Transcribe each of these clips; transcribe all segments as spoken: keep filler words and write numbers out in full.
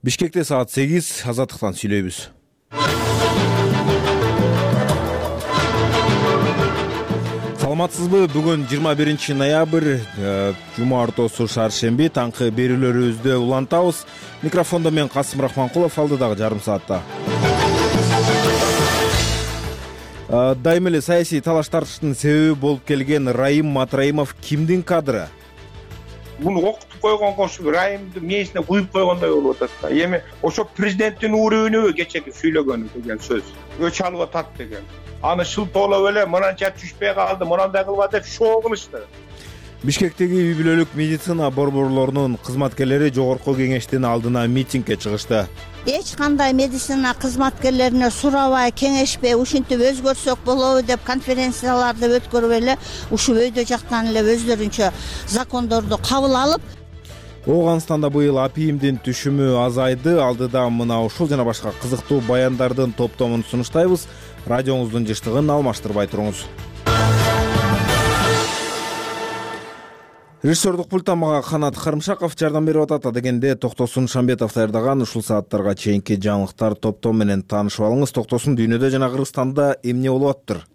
Бишкекте саат сегиз, азаттыктан сүйлөйбүз. Саламатсызбы? Бүгүн жыйырма биринчи ноябрь, жума ортосу шаршемби, таңкы берүүлөрүбүздө улантабыз. Микрофондо мен Касым Рахманкулов, алдыдагы жарым саатта. Дайым эле саясий талаш тартыштын себеби болуп келген Райым Матраимов кимдин кадры? Муну окутуп койгон кошу Райымды мээсине куюп койгондой болуп атат да. Эми ошо президенттин уурүбүнүбү кечеки сүйлөгөнү деген сөз. Өч алып атат деген. Аны шылтоолоп эле мынанча түшпөй калды, мынандай кылып деп шоо кылышты. Бишкектеги үй бүлөлүк медицина борборлорунун кызматкерлери жогорку кеңештин алдына митингге чыгышты. Эч кандай медицина кызматкерлерине сурабай, кеңешпей, ушинтип өзгөрсөк болобу деп конференцияларды өткөрүп эле ушул өйдө жактан эле өздөрүнчө закондорду кабыл алып, Ооганстанда быйыл апийимдин түшүмү азайды. Алдыда мына ушул жана башка кызыктуу баяндардын топтомун сунуштайбыз. Радиоңуздун жыштыгын алмаштырбай туруңуз. Режиссердук пульттан мага Канат Карымшаков жардам берип атат. Дегенде Токтосун Шамбетов даярдаган ушул сааттарга чейинки жаңылыктар топтом менен таанышып алыңыз. Токтосун дүйнөдө жана Кыргызстанда эмне болуп атыптыр?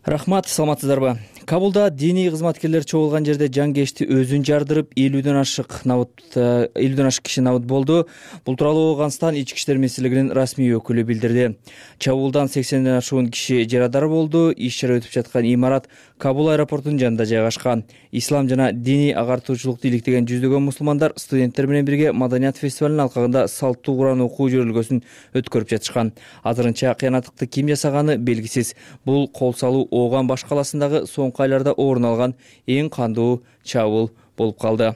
Рахмат, саламатсыздарбы? Кабулда диний кызматкерлер чогулган жерде жангечти өзүн жардырып, элүүдөн ашык набыт элүүдөн ашык киши набыт болду. Бул тууралуу Ооганстан ички иштер министрлигинин расмий өкүлү билдирди. Чабуулдан сексенден ашуун киши жарадар болду. Иш-чара өтүп жаткан имарат Кабул аэропортунун жанында жайгашкан. Ислам жана диний агартуучулукту иликтеген жүздөгөн мусулмандар студенттер менен бирге маданият фестивалынын алкагында салттуу Куран окуу жөрөлгөсүн өткөрүп жатышкан. Азырынча кыянаттыкты ким жасаганы белгисиз. Бул кол салуу Ооган баш каласындагы соңку айларда орун алган эң кандуу чабуул болуп калды.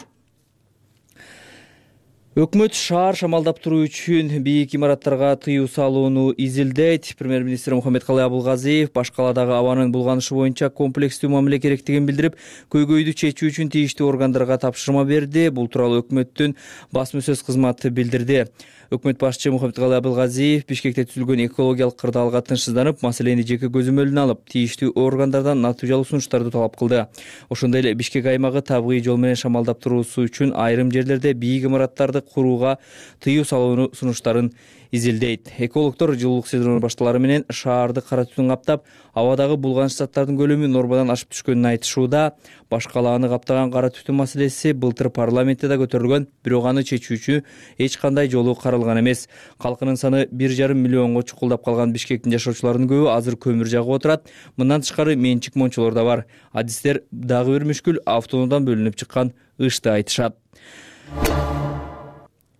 Өкмөт шаар шамалдап туруу үчүн бийик имараттарга тыюу салууну изилдейт. Премьер-министр Мухаммедкалый Абылгазиев баш каладагы абанын булганышы боюнча комплекстүү мамиле керектигин билдирип, көйгөйдү чечүү үчүн тийиштүү органдарга тапшырма берди. Бул тууралуу өкмөттүн басма сөз кызматы билдирди. Өкмөт башчы Мухаммедкалый Абылгазиев Бишкекте түзүлгөн экологиялык кырдаалга тынчсызданып, маселени жеке көзөмөлүнө алып, тийиштүү органдардан натыйжалуу сунуштарды талап кылды. Ошондой эле Бишкек аймагы табигый жол менен шамалдап туруусу үчүн айрым жерлерде бийик имараттарды курууга тыюу салууну сунуштарын изилдейт. Экологдор жылуулук сезону башталары менен шаарды кара түтүн каптап, абадагы булганыч заттардын көлөмү нормадан ашып түшкөнүн айтышууда. Баш калааны каптаган кара түтүн маселеси былтыр парламентте да көтөрүлгөн, бирок аны чечүүчү эч кандай жолу каралган эмес. Калкынын саны бир жарым миллионго чукулдап калган Бишкектин жашоочуларынын көбү азыр көмүр жагып отурат. Мындан тышкары менчик мончолор да бар. Адистер дагы бир мүшкүл автоунуудан бөлүнүп чыккан ышты айтышат.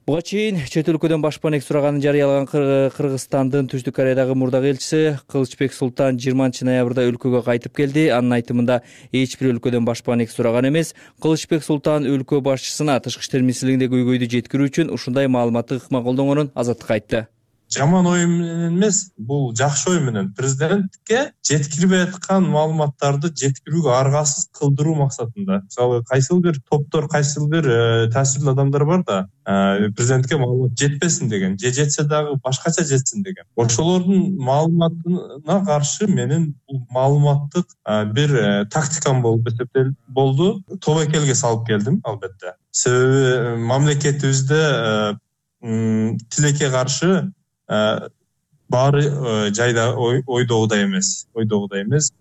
Буга чейин чет өлкөдөн башпанек сураганын жарыялаган Кыргызстандын Түштүк Кореядагы мурдагы элчиси Кылычбек Султан жыйырманчы ноябрда өлкөгө кайтып келди. Анын айтымында эч бир өлкөдөн башпанек сураган эмес. Кылычбек Султан өлкө башчысына тышкы иштер министрлигинде көйгөйдү жеткирүү үчүн ушундай маалыматты ыкма колдонгонун Азаттыкка айтты. Жаман ой менен эмес, бул жакшы ой менен президентке жеткирбей аткан маалыматтарды жеткирүүгө аргасыз кылдыруу максатында. Мисалы, кайсыл бир топтор, кайсыл бир таасирлүү адамдар бар да, президентке маалымат жетпесин деген, же жетсе дагы башкача жетсин деген. Ошолордун маалыматына каршы менин бул маалыматтык бир тактикам болуп эсептелип болду. Тобокелге салып келдим, албетте. Себеби мамлекетибизде тилекке каршы баары жайда ойдогудай эмес, ойдогудай эмес.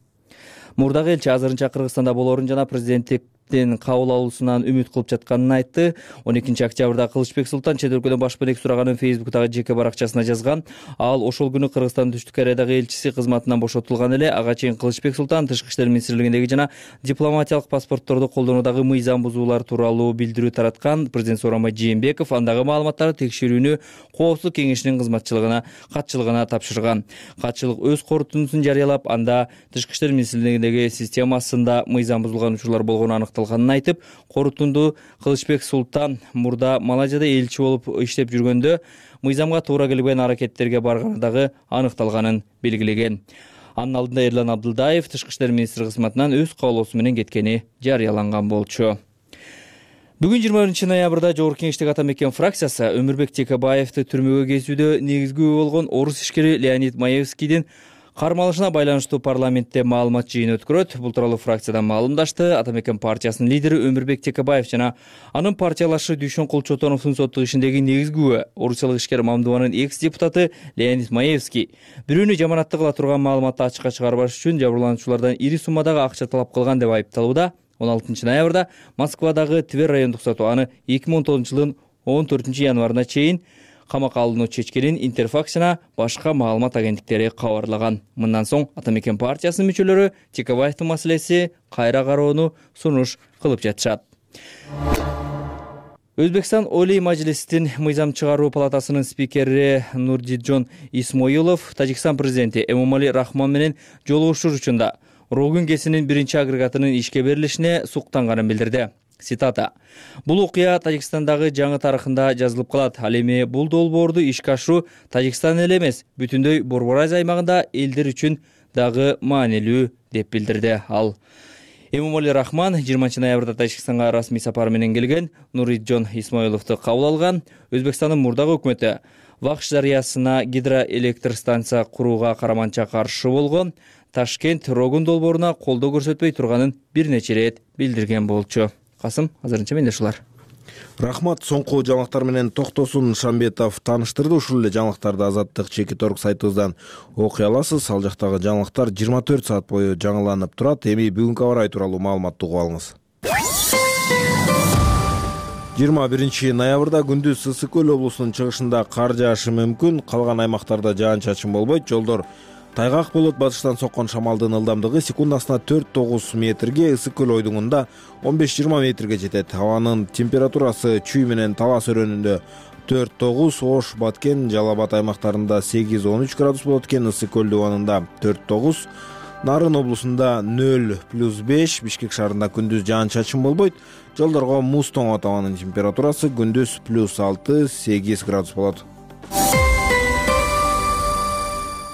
Мурдагы элчи азырынча Кыргызстанда болоорун жана президенттик кабыл алуусунан үмүт кылып жатканын айтты. он экинчи октябрда Кылычбек Султан чет өлкөдөн башпанек сураганын Фейсбуктагы жеке баракчасына жазган. Ал ошол күнү Кыргызстандын Түштүк Кореядагы элчиси кызматынан бошотулган эле. Ага чейин Кылычбек Султан тышкы иштер министрлигиндеги жана дипломатиялык паспортторду колдонуудагы мыйзам бузуулар тууралуу билдирүү тараткан. Президент Сооронбай Жээнбеков андагы маалыматтарды текшерүүнү Коопсуздук кеңешинин кызматчылыгына катчылыгына тапшырган. Катчылык өз корутундусун жарыялап, анда тышкы иштер министрлигиндеги системасында мыйзам бузулган учурлар болгону аныкталганын айтып, корутунду Кылычбек Султан мурда Малайзияда элчи болуп иштеп жүргөндө мыйзамга туура келбеген аракеттерге барганы дагы аныкталганын белгилеген. Анын алдында Эрлан Абдылдаев тышкы иштер министри кызматынан өз каалоосу менен кеткени жарыяланган болчу. Бүгүн жыйырма биринчи ноябрда Жогорку Кеңештеги ата мекен фракциясы Өмүрбек Текебаевди түрмөгө кезүүдө негизги күбө болгон орус ишкери Леонид Маевскийдин кармалышына байланыштуу парламентте маалымат жыйыны өткөрөт. Бул тууралуу фракциядан маалымдашты Ата Мекен партиясынын лидери Өмүрбек Текебаев жана анын партиялашы Дүйшөн Кулчотоновдун соттук ишиндеги негизги күбө орусиялык ишкер Мамдубанын экс-депутаты Леонид Маевский бирөөнү жаманатта кыла турган маалыматты ачыкка чыгарбаш үчүн жабырлануучулардан ири суммадагы акча талап кылган деп айыпталууда. он алтынчы ноябрда Москвадагы Твер райондук соту аны эки миң он тогузунчу жылдын он төртүнчү январына чейин камакка алууну чечкенин Интерфакс жана башка маалымат агенттиктери кабарлаган. Мындан соң Ата Мекен партиясынын мүчөлөрү Текебаевдин маселеси кайра кароону сунуш кылып жатышат. Өзбекстан Олий Мажлистин мыйзам чыгаруу палатасынын спикери Нурдиджон Исмоилов Тажикстан президенти Эмомали Рахмон менен жолугушуу учурда Рогун КЭСинин биринчи агрегатынын ишке берилишине суктанганын билдирди. Цитата: "Бул окуя Тажикстандагы жаңы тарыхында жазылып калат. Ал эми бул долбоорду ишке ашыруу Тажикстан эле эмес, бүтүндөй Борбор Азия аймагында элдер үчүн дагы маанилүү", деп билдирди ал. Эмомали Рахмон жыйырманчы ноябрда Тажикстанга расмий сапар менен келген, Нуриджон Исмоиловду кабыл алган. Өзбекстандын мурдагы өкмөтү Вахш дарыясына гидроэлектр станция курууга караманча каршы болгон. Ташкент Рогун долбооруна колдоо көрсөтпөй турганын бир нече ирет билдирген болчу. Касым, азырынча менде ушулар. Рахмат. Соңку жаңылыктар менен Токтосун Шамбетов тааныштырды. Ушул эле жаңылыктарды Азаттык чекит орг сайтыбыздан окуй аласыз. Ал жактагы жаңылыктар жыйырма төрт саат бою жаңыланып турат. Эми бүгүнкү аба ырайы тууралуу маалыматты угуп алыңыз. жыйырма биринчи ноябрда күндүз Ысык көл облусунун чыгышында кар жаашы мүмкүн. Калган аймактарда жаан-чачын болбойт. Жолдор тайгак болот. Батыштан соккон шамалдын ылдамдыгы секундасына төрт тогуз метрге, Ысык көл ойдуңунда он беш жыйырма метрге жетет. Абанын температурасы чүй менен Талас өрөөнүндө төрт тогуз, Ош, Баткен, Жалал Абад аймактарында сегиз он үч градус болот экен. Ысык көл дубанында төрт тогуз, Нарын облусунда нөл плюс беш, Бишкек шаарында күндүз жаан-чачын болбойт. Жолдорго муз тоңот. Абанын температурасы күндүз плюс алты сегиз градус болот.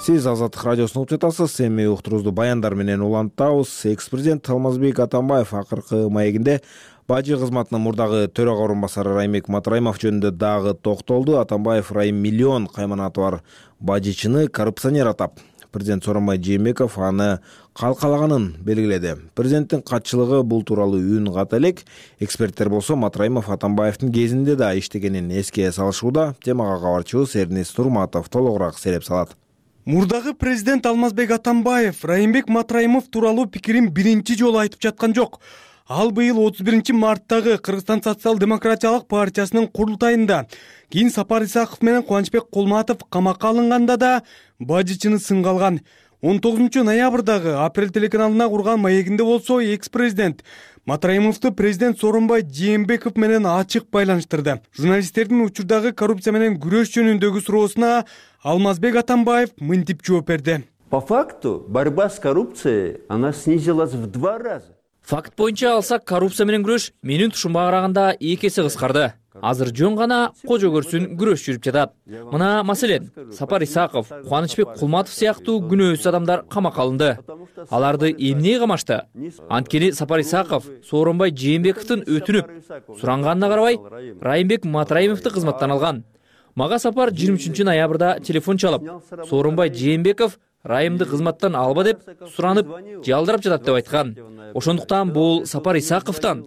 Сиз Азаттык радиосун угуп жатасыз. Эми уктурубузду баяндар менен улантабыз. Экс-президент Алмазбек Атамбаев акыркы маегинде бажы кызматынын мурдагы төрага орун басары Райымбек Матраимов жөнүндө дагы токтолду. Атамбаев Райым миллион кайманаты бар бажычыны коррупционер атап, президент Сооронбай Жээнбеков аны калкалаганын белгиледи. Президенттин катчылыгы бул тууралуу үн ката элек. Эксперттер болсо Матраимов Атамбаевдин кезинде да иштегенин эске салышууда. Темага кабарчыбыз Эрнис Турматов толугураак сереп салат. Мурдагы президент Алмазбек Атамбаев Райымбек Матраимов тууралуу пикирин биринчи жолу айтып жаткан жок. Ал быйыл отуз биринчи марттагы Кыргызстан социал-демократиялык партиясынын курултайында, кийин Сапар Исаков менен Кубанычбек Кулматов камакка алынганда да бажычыны сынга алган. он тогузунчу ноябрдагы Апрель телеканалына курган маегинде болсо экс-президент Матраимовду президент Сооронбай Жээнбеков менен ачык байланыштырды. Журналисттердин учурдагы коррупция менен күрөш жөнүндөгү суроосуна Алмазбек Атамбаев мынтип жооп берди. По факту борьба с коррупцией, она снизилась в два раза. Факт боюнча алсак, коррупция менен күрөш менин тушумга караганда эки эсе кыскарды. Азыр жөн гана кожо көрсүн күрөш жүрүп жатат. Мына маселен, Сапар Исаков, Кубанычбек Кулматов сыяктуу күнөөсүз адамдар камакка алынды. Аларды эмне камашты? Анткени Сапар Исаков Сооронбай Жээнбековдун өтүнүп суранганына карабай Райымбек Матраимовду кызматтан алган. Мага Сапар жыйырма үчүнчү ноябрда телефон чалып, Сооронбай Жээнбеков Райымды кызматтан алба деп суранып, жалдырап жатат деп айткан. Ошондуктан бул Сапар Исаковтан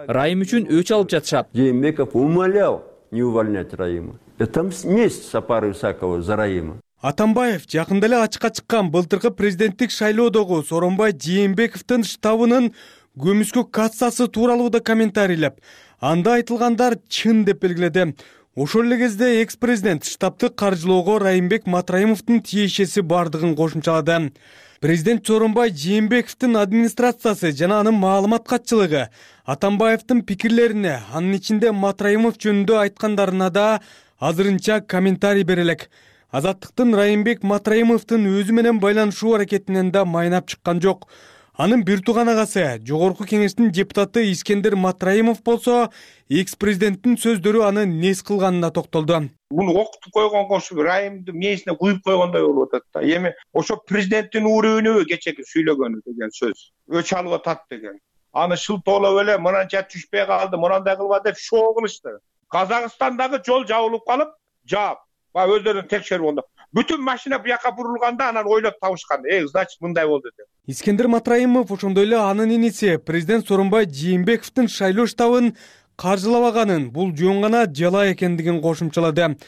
Райым үчүн өч алып жатышат. Жээнбеков умолял не увольнять Раима. Это месть Сапару Исакову за Раима. Атамбаев жакында эле ачыкка чыккан былтыркы президенттик шайлоодогу Сооронбай Жээнбековдун штабынын көмүскө кассасы тууралуу да комментарийлеп, анда айтылгандар чын деп белгиледи. Ошол эле кезде экс-президент штабты каржылоого Райымбек Матраимовдун тиешеси бардыгын кошумчалады. Президент Сооронбай Жээнбековдун администрациясы жана анын маалымат катчылыгы Атамбаевдин пикирлерине, анын ичинде Матраимов жөнүндө айткандарына да азырынча комментарий бере элек. Азаттыктын Райымбек Матраимовдун өзү менен байланышуу аракетинен да майнап чыккан жок. Анын бир тууган агасы, Жогорку кеңештин депутаты Искендер Матраимов болсо, экс-президенттин сөздөрү аны нес кылганына токтолду. Буну окутуп койгон кошу Райымды мээсине куюп койгондой болуп атат да. Эми ошо президенттин үрүүнү кечеки сүйлөгөнү деген сөз. Өч алып атат деген. Аны шылтоолоп эле мынанча түшпөй калды, мынандай кылба деп шоо кылышты. Казакстандагы жол жабылып калып, жаап, ба өздөрүн текшерип онда. Бүтүн машина бияка бурулганда анан ойлоп табышкан, э значит мындай болду деп. Искендер Матраимов ошондой эле анын иниси президент Сооронбай Жээнбековдун шайлоо штабын каржылабаганын, бул жөн гана жалаа экендигин кошумчалады.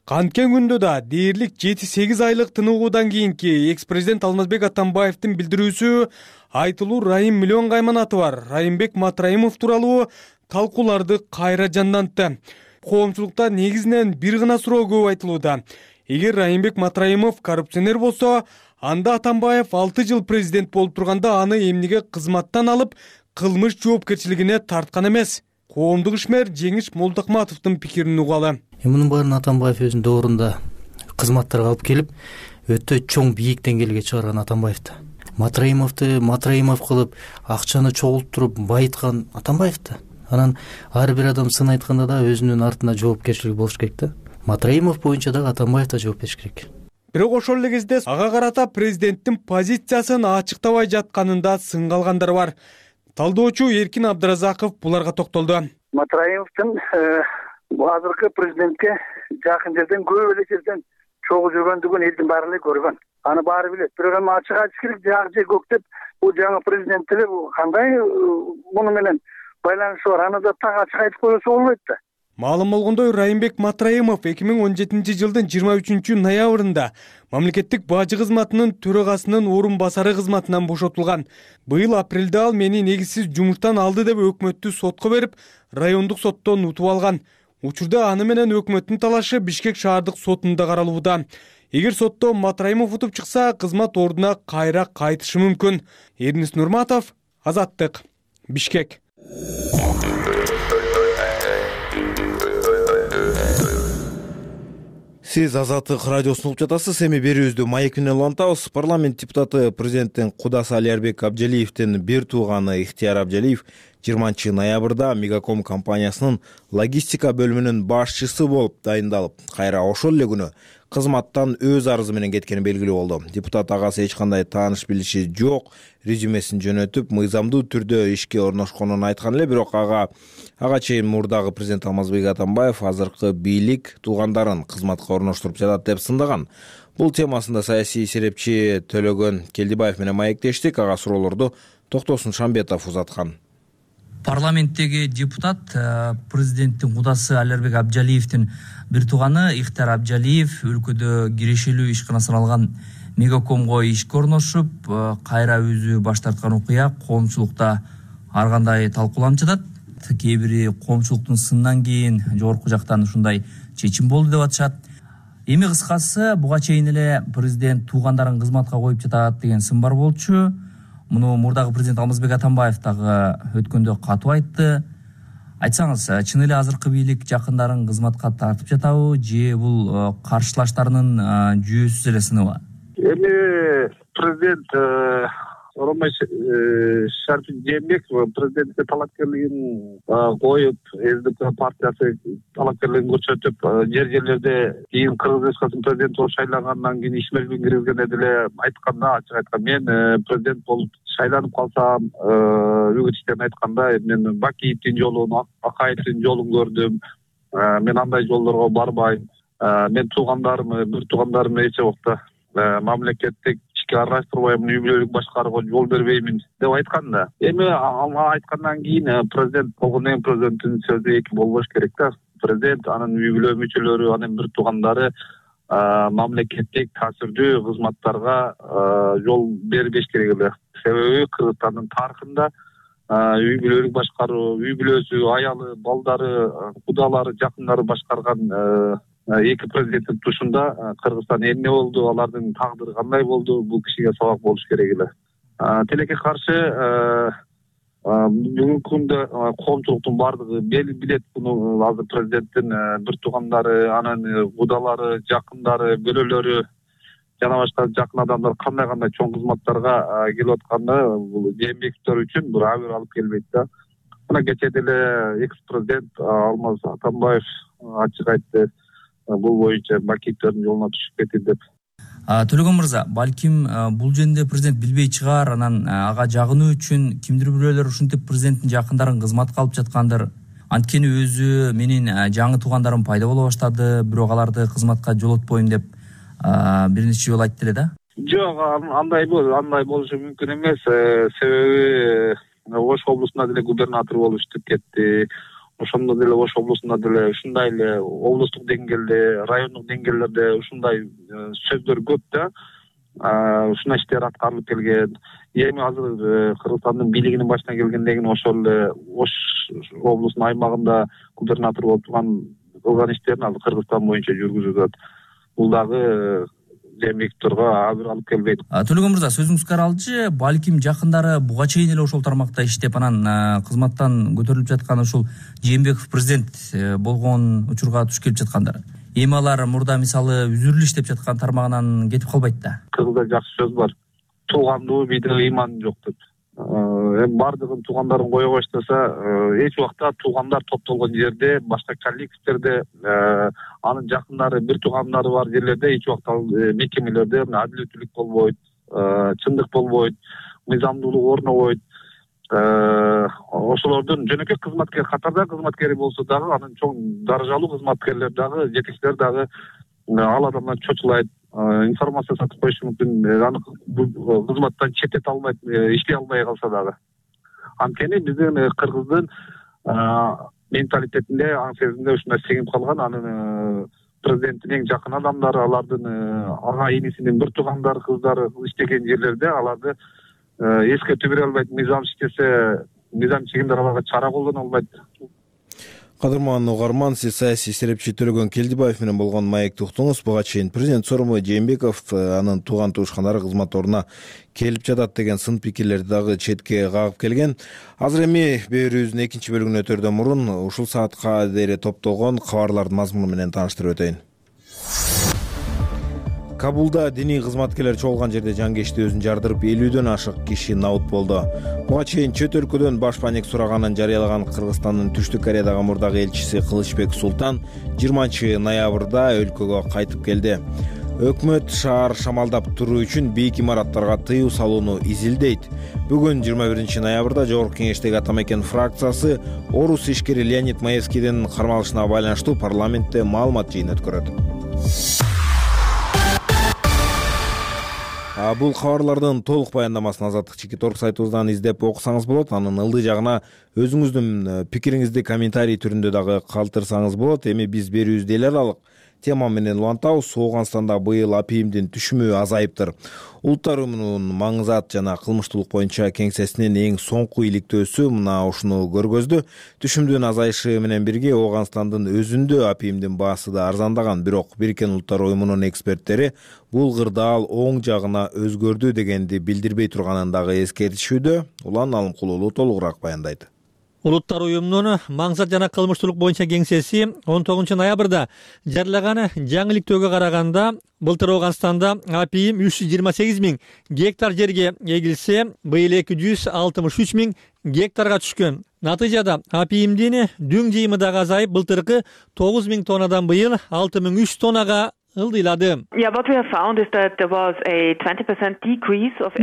Канткен күндө да дээрлик жети сегиз айлык тыныгуудан кийинки экс-президент Алмазбек Атамбаевдин билдирүүсү айтылуу Райым Миллион Кайманаты бар Райымбек Матраимов тууралуу талкууларды кайра жандантты. Коомчулукта негизинен бир гана суроо көп айтылууда. Эгер Райымбек Матраимов коррупционер болсо, анда Атамбаев алты жыл президент болуп турганда аны эмнеге кызматтан алып, кылмыш жоопкерчилигине тарткан эмес? Коомдук ишмер Жеңиш Молдокматовдун пикирин угалы. Мунун баарын Атамбаев өзүнүн доорунда кызматтарга алып келип, өтө чоң бийик деңгээлге чыгарган Атамбаевди. Матраимовду Матраимов кылып, акчаны чогултуруп байыткан Атамбаевди. Анан ар бир адам сын айтканда да өзүнүн артында жоопкерчилиги болуш керек да. Матраимов боюнча дагы Атамбаев да жооп бериш керек. Бирок ошол эле кезде ага карата президенттин позициясын ачыктабай жатканында сынга алгандар бар. Талдоочу Эркин Абдыразаков буларга токтолду. Матраимовдун азыркы президентке жакын жерден көп эле жерден чогуу жүргөндүгүн элдин баары эле көргөн. Аны баары билет. Бирок эми ачык айтыш керек, жак же көк деп бул жаңы президент деле кандай муну менен байланышы бар. Аны да так ачык айтып койсо болбойт да. Маалым болгондой, Райымбек Матраимов эки миң он жетинчи жылдын жыйырма үчүнчү ноябрында мамлекеттик бажы кызматынын төрагасынын орун басары кызматынан бошотулган. Быйыл апрелде ал мени негизсиз жумуштан алды деп өкмөттү сотко берип, райондук соттон утуп алган. Учурда аны менен өкмөттүн талашы Бишкек шаардык сотунда каралууда. Эгер сотто Матраимов утуп чыкса, кызмат ордуна кайра кайтышы мүмкүн. Эрнис Нурматов, Азаттык, Бишкек. Сиз Азаттык радиосун угуп жатасыз. Эми берүүбүздү маек менен улантабыз. Парламент депутаты президенттин кудасы Алиарбек Абджалиевдин бир тууганы Ихтияр Абджалиев жыйырманчы ноябрда Мегаком компаниясынын логистика бөлүмүнүн башчысы болуп дайындалып, кайра ошол эле күнү кызматтан өз арызы менен кеткени белгилүү болду. Депутат агасы эч кандай тааныш билиши жок, резюмесин жөнөтүп, мыйзамдуу түрдө ишке орношконун айткан эле, бирок ага ага чейин мурдагы президент Алмазбек Атамбаев азыркы бийлик туугандарын кызматка орноштуруп жатат деп сындаган. Бул темасында саясий серепчи Төлөгөн Келдибаев менен маектештик. Ага суроолорду Токтосун Шамбетов узаткан. Парламенттеги депутат президенттин кудасы Алиарбек Абджалиевдин бир тууганы Ихтияр Абджалиев өлкөдө кирешелүү ишкана саналган Мегакомго ишке орношуп, кайра өзү баш тарткан окуя коомчулукта ар кандай талкууланып жатат. Кээ бири коомчулуктун сынынан кийин жогорку жактан ушундай чечим болду деп атышат. Эми кыскасы буга чейин эле президент туугандарын кызматка коюп жатат деген сын бар болчу. Муну мурдагы президент Алмазбек Атамбаев дагы өткөндө катуу айтты. Айтсаңыз, чын эле азыркы бийлик жакындарын кызматка тартып жатабы же бул каршылаштарынын жүйөсүз эле сыныбы? Эми президент Сооронбай Жээнбеков президентке талапкерлигин коюп, СДП партиясы талапкерлигин көрсөтүп, жер жерлерде кийин Кыргыз Республикасынын президенти болуп шайлангандан кийин ишмердин киргизгенде деле айтканда, ачык айткан, мен президент болуп шайланып калсам, үгүтчүлөрүн айтканда, мен Бакиевдин жолун, Акаевдин жолун көрдүм. Мен андай жолдорго барбайм. Мен туугандарым, бир туугандарым эч убакта мамлекеттик аралаштырбайм, үй бүлөлүк башкарууга жол бербеймин деп айткан да. Эми ага айткандан кийин президент болгондон кийин президенттин сөзү эки болбош керек да. Президент, анын үй бүлө мүчөлөрү, анын бир туугандары мамлекеттик таасирдүү кызматтарга жол бербеш керек эле. Себеби Кыргызстандын тарыхында үй бүлөлүк башкаруу, үй бүлөсү, аялы, балдары, кудалары, жакындары башкарган эки президенттин тушунда Кыргызстан эмне болду, алардын тагдыры кандай болду, бул кишиге сабак болуш керек эле. Тилекке каршы бүгүнкү күндө коомчулуктун баардыгы билет буну. Азыр президенттин бир туугандары, анын кудалары, жакындары, бөлөлөрү жана башка жакын адамдар кандай кандай чоң кызматтарга келип атканды бул Жээнбековдор үчүн бир абийир алып келбейт да. Мына кечээ деле экс-президент Алмаз Атамбаев ачык айтты, бул боюнча Бакиевдердин жолуна түшүп кетти деп. Төлөгөн мырза, балким бул жөнүндө президент билбей чыгар, анан ага жагынуу үчүн кимдир бирөөлөр ушинтип президенттин жакындарын кызматка алып жаткандыр. Анткени өзү менин жаңы туугандарым пайда боло баштады, бирок аларды кызматка жолотпойм деп бир нече жолу айтты эле да. Жок, андай андай болушу мүмкүн эмес. Себеби Ош облусунда деле губернатор болуп иштеп кетти. Ошондо деле Ош облусунда деле ушундай эле облустук деңгээлде, райондук деңгээлдерде ушундай сөздөр көп да. Ушундай иштер аткарылып келген. Эми азыр Кыргызстандын бийлигинин башына келгенден кийин ошол эле Ош облусунун аймагында губернатор болуп турган кылган иштерин азыр Кыргызстан боюнча жүргүзүп атат. Бул дагы Жээнбековторго абыр алып келбейт. Төлөгөн мырза, сөзүңүзгө аралчы, балким жакындары буга чейин эле ошол тармакта иштеп анан кызматтан көтөрүлүп жаткан ушул Жээнбеков президент болгон учурга туш келип жаткандар. Эми алар мурда мисалы үзүрүлүп иштеп жаткан тармагынан кетип калбайт да. Кыргызда жакшы сөз бар. Туугандуу бийде ыйман жок деп. Эми бардыгын туугандарын кое баштаса, эч убакта туугандар топтолгон жерде, башка коллективдерде, анын жакындары, бир туугандары бар жерлерде эч убакта мекемелерде адилеттүүлүк болбойт, чындык болбойт, мыйзамдуулук орнобойт. Ошолордун жөнөкөй кызматкер катарда кызматкери болсо дагы, анын чоң даражалуу кызматкерлер дагы, жетекчилер дагы ал адамдан чочулайт, информация сатып коюшу мүмкүн, аны кызматтан четтете албайт, иштей албай калса дагы. Анткени биздин Кыргыздын менталитетинде, аң сезимде ушундай сеңип калган. Анын президенттин эң жакын адамдары, алардын ага инисинин бир туугандары, кыздары иштеген жерлерде аларды эскертүү бере албайт. Мыйзам иштесе, мыйзам чегимдер аларга чара колдоно албайт. Кадырман угарман, сиз саясий серепчи Төлөгөн Келдибаев менен болгон маекти уктуңуз. Буга чейин президент сооронбай Жээнбеков анын тууган туушкандары кызмат ордуна келип жатат деген сын пикирлерди дагы четке кагып келген. Азыр эми берүүбүздүн экинчи бөлүгүнө өтөрдөн мурун ушул саатка дейре топтолгон кабарлардын мазмуну менен тааныштырып өтөйүн. Кабулда диний кызматкерлер чогулган жерде жангечти өзүн жардырып, элүүдөн ашык киши набыт болду. Буга чейин чөт өлкөдөн баш паник сураганын жарыялаган Кыргызстандын Түштүк Кореядагы мурдагы элчиси Кылычбек Султан жыйырманчы ноябрда өлкөгө кайтып келди. Өкмөт шаар шамалдап туруу үчүн бийик имараттарга тыюу салууну изилдейт. Бүгүн жыйырма биринчи ноябрда Жогорку Кеңештеги Атамекен фракциясы орус ишкери Леонид Маевскийдин кармалышына байланыштуу парламентте маалымат жыйыны өткөрөт. Бул кабарлардын толук баяндамасын Азаттык Чекит орг сайтыбыздан издеп окусаңыз болот. Анын ылдый жагына өзүңүздүн пикириңизди комментарий түрүндө дагы калтырсаңыз болот. Эми биз берүүбүздү эл аралык тема менен улантабыз. Ооганстанда быйыл апийимдин түшүмү азайыптыр. Улуттар уюмунун маңызат жана кылмыштуулук боюнча кеңсесинин эң соңку иликтөөсү мына ушуну көргөздү. Түшүмдүн азайышы менен бирге Ооганстандын өзүндө апийимдин баасы да арзандаган, бирок Бириккен Улуттар уюмунун эксперттери бул кырдаал оң жагына өзгөрдү дегенди билдирбей турганын дагы эскертишүүдө. Улан Алымкулуулу толугураак баяндайт. Улуттар уюмунун маңзат жана кылмыштуулук боюнча кеңсеси он тогузунчу ноябрда жарыялаган жаңы иликтөөгө караганда былтыр Ооганстанда апийим үч жүз жыйырма сегиз миң гектар жерге эгилсе, быйыл эки жүз алтымыш үч миң гектарга түшкөн. Натыйжада апийимдин дүң жыйымы дагы азайып, былтыркы тогуз миң тоннадан быйыл алты миң үч тоннага ылдыйлады.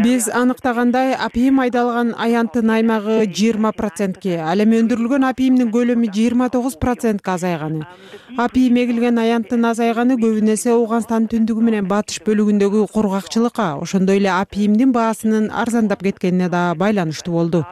Биз аныктагандай апийим айдалган аянттын аймагы жыйырма процентке, ал эми өндүрүлгөн апийимдин көлөмү жыйырма тогуз процентке азайганы. Апийим эгилген аянттын азайганы көбүн эсе Ооганстандын түндүгү менен батыш бөлүгүндөгү кургакчылыкка, ошондой эле апийимдин баасынын арзандап кеткенине да байланыштуу болду.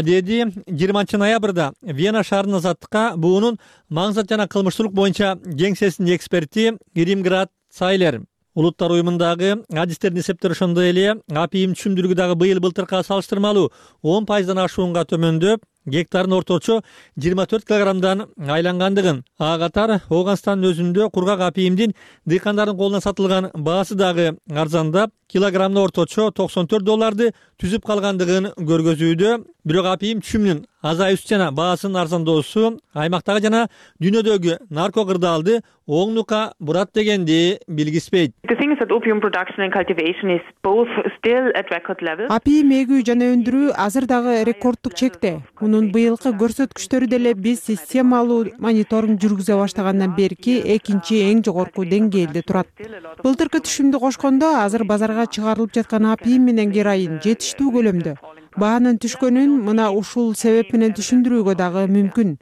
Деди жыйырманчы ноябрда Вена шаарынын азаттыкка буунун маңзат жана кылмыштуулук боюнча кеңсесинин эксперти Иримград Сайлер. Улуттар уюмундагы адистердин эсептери ошондой эле апийим түшүмдүүлүгү дагы быйыл былтыркыга салыштырмалуу он пайыздан ашуунга төмөндөп, гектарын орточо жыйырма төрт килограммдан айлангандыгын. Ага катар Ооганстандын өзүндө кургак апийимдин дыйкандардын колуна сатылган баасы дагы арзандап, килограммына орточо токсон төрт долларды түзүп калгандыгын көргөзүүдө. Бирок апийим түшүмүнүн азайышы жана баасынын арзандоосу аймактагы жана дүйнөдөгү нарко кырдаалды оңдукка бурат дегенди билгиспейт. Апийим эгүү жана өндүрүү азыр дагы рекордтук чекте. Мунун быйылкы көрсөткүчтөрү деле биз системалуу мониторинг жүргүзө баштагандан берки экинчи эң жогорку деңгээлде турат. Былтыркы түшүмдү кошкондо азыр базарга чыгарылып жаткан апийим менен героин жетиштүү көлөмдө. Баанын түшкөнүн мына ушул себеп менен түшүндүрүүгө дагы мүмкүн.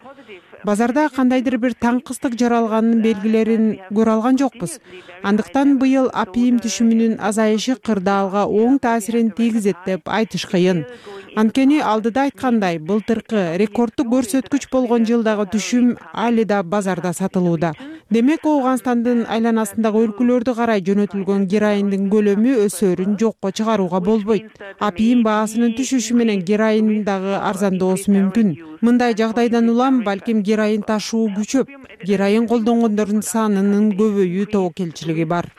Базарда кандайдыр бир таңкыстык жаралганын белгилерин көрө алган жокпуз. Андыктан быйыл апийим түшүмүнүн азайышы кырдаалга оң таасирин тийгизет деп айтыш кыйын. Анткени алдыда айткандай, былтыркы рекорддук көрсөткүч болгон жылдагы түшүм али да базарда сатылууда. Демек, Ооганстандын айланасындагы өлкөлөрдү карай жөнөтүлгөн героиндин көлөмү өсөөрүн жокко чыгарууга болбойт. Апийим баасынын түшүшү менен героин дагы арзандоосу мүмкүн. Мындай жагдайдан улам балким героин ташуу күчөп, героин колдонгондордун санынын көбөйүү тобокелчилиги бар.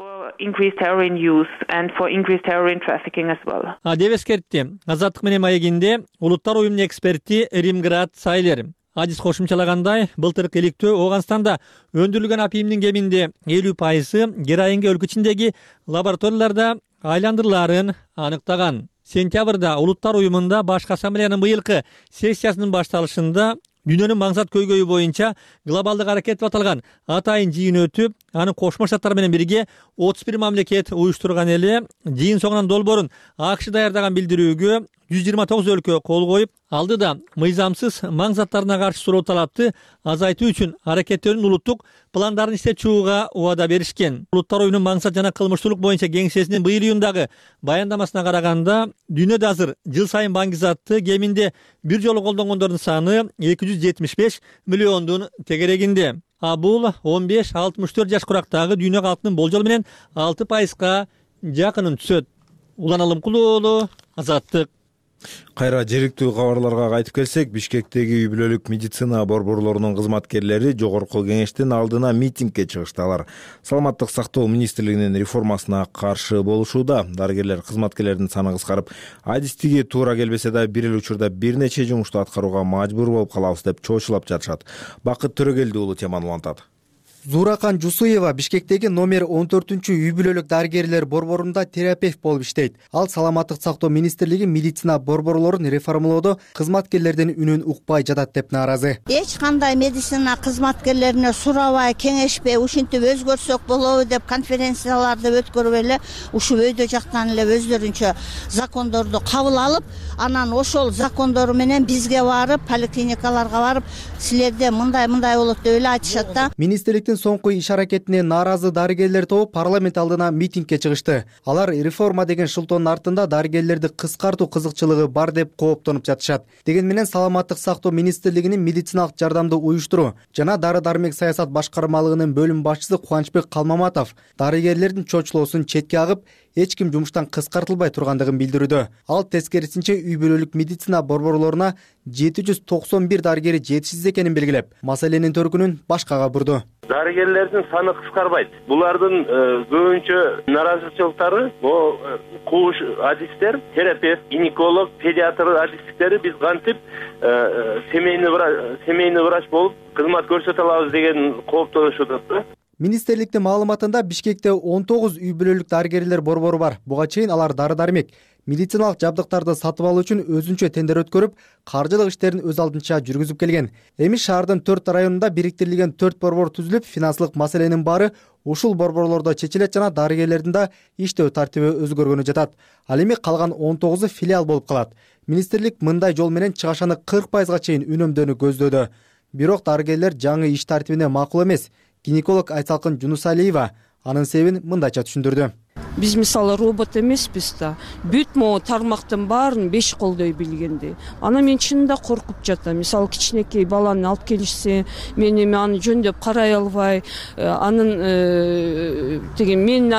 деп эскертти Азаттык менен маегинде улуттар уюмунун эксперти Римград Сайлер. Адис кошумчалагандай, былтыркы иликтөө Ооганстанда өндүрүлгөн апийимдин кеминде элүү пайызы героинге өлкө ичиндеги лабораторияларда айландырылаарын аныктаган. Сентябрда улуттар уюмунда башкы ассамблеянын быйылкы сессиясынын башталышында дүйнөнүн маңзат көйгөйү боюнча глобалдык аракет деп аталган атайын жыйын өтүп, анын Кошмо Штаттар менен бирге отуз бир мамлекет уюштурган эле. Жыйын соңунан долбоорун АКШ даярдаган билдирүүгө жүз жыйырма тогуз өлкө кол коюп, алдыда мыйзамсыз маң заттарына каршы суроо талапты азайтуу үчүн аракеттерин улуттук пландарын иштеп чыгууга убада беришкен. Улуттар уюмунун маңзат жана кылмыштуулук боюнча кеңсесинин быйыл июндагы баяндамасына караганда, дүйнөдө азыр жыл сайын баңгизатты кеминде бир жолу колдонгондордун саны эки жүз жетимиш беш миллиондун тегерегинде. А бул он беш алтымыш төрт жаш курактагы дүйнө калкынын болжол менен алты пайызга жакынын түшөт. Улан Алымкулуу, Азаттык. Кайра жергиликтүү кабарларга кайтып келсек, Бишкектеги үй бүлөлүк медицина борборлорунун кызматкерлери жогорку кеңештин алдына митингге чыгыштылар. Саламаттык сактоо министрлигинин реформасына каршы болушууда. Дарыгерлер кызматкерлердин саны кыскарып, адистиги туура келбесе да бир эле учурда бир нече жумушту аткарууга мажбур болуп калабыз деп чоочулап жатышат. Бакыт Төрөгелди уулу теманы улантат. Зуракан Жусуева Бишкектеги номер он төртүнчү үй бүлөлүк дарыгерлер борборунда терапевт болуп иштейт. Ал саламаттык сактоо министрлиги медицина борборлорун реформалоодо кызматкерлердин үнүн укпай жатат деп нааразы. Эч кандай медицина кызматкерлерине сурабай, кеңешпей, ушинтип өзгөрсөк болобу деп конференцияларды өткөрүп эле ушул өйдө жактан эле өздөрүнчө закондорду кабыл алып, анан ошол закондору менен бизге барып, поликлиникаларга барып, силерде мындай-мындай болот деп эле айтышат да. Министрликтин соңку иш аракетине нааразы дарыгерлер тобу парламент алдына митингге чыгышты. Алар реформа деген шылтоонун артында дарыгерлерди кыскартуу кызыкчылыгы бар деп кооптонуп жатышат. Деген менен саламаттык сактоо министрлигинин медициналык жардамды уюштуруу жана дары-дармек саясат башкармалыгынын бөлүм башчысы Кубанычбек Калмаматов дарыгерлердин чочулоосун четке агып, эч ким жумуштан кыскартылбай тургандыгын билдирүүдө. Ал тескерисинче үй бүлөлүк медицина борборлоруна жети жүз токсон бир дарыгери жетишсиз экенин белгилеп, маселенин төркүнүн башкага бурду. Дарыгерлердин саны кыскарбайт. Булардын көбүнчө наразычылыктары бул кууш адистер, терапевт, гинеколог, педиатр адистиктери биз кантип семейный врач, семейный врач болуп кызмат көрсөтө алабыз деген кооптонушуда. Министрликтин маалыматында Бишкекте он тогуз үй бүлөлүк дарыгерлер борбору бар. Буга чейин алар дары-дармек, медициналык жабдыктарды сатып алуу үчүн өзүнчө тендер өткөрүп, каржылык иштерин өз алдынча жүргүзүп келген. Эми шаардын төрт районунда бириктирилген төрт борбор түзүлүп, финансылык маселенин баары ушул борборлордо чечилет жана дарыгерлердин да иштөө тартиби өзгөргөнү жатат. Ал эми калган он тогузу филиал болуп калат. Министрлик мындай жол менен чыгашаны кырк пайызга чейин үнөмдөөнү көздөөдө. Бирок дарыгерлер жаңы иш тартибине макул эмес. Гинеколог Айсалкын Жунусалиева анын себебин мындайча түшүндүрдү. Биз мисалы робот эмеспиз да. Бүт могу тармактын баарын беш колдой билгенди. Ана мен чынында коркуп жатам. Мисалы кичинекей баланы алып келишсе, мен эми аны жөндөп карай албай, анын деген мен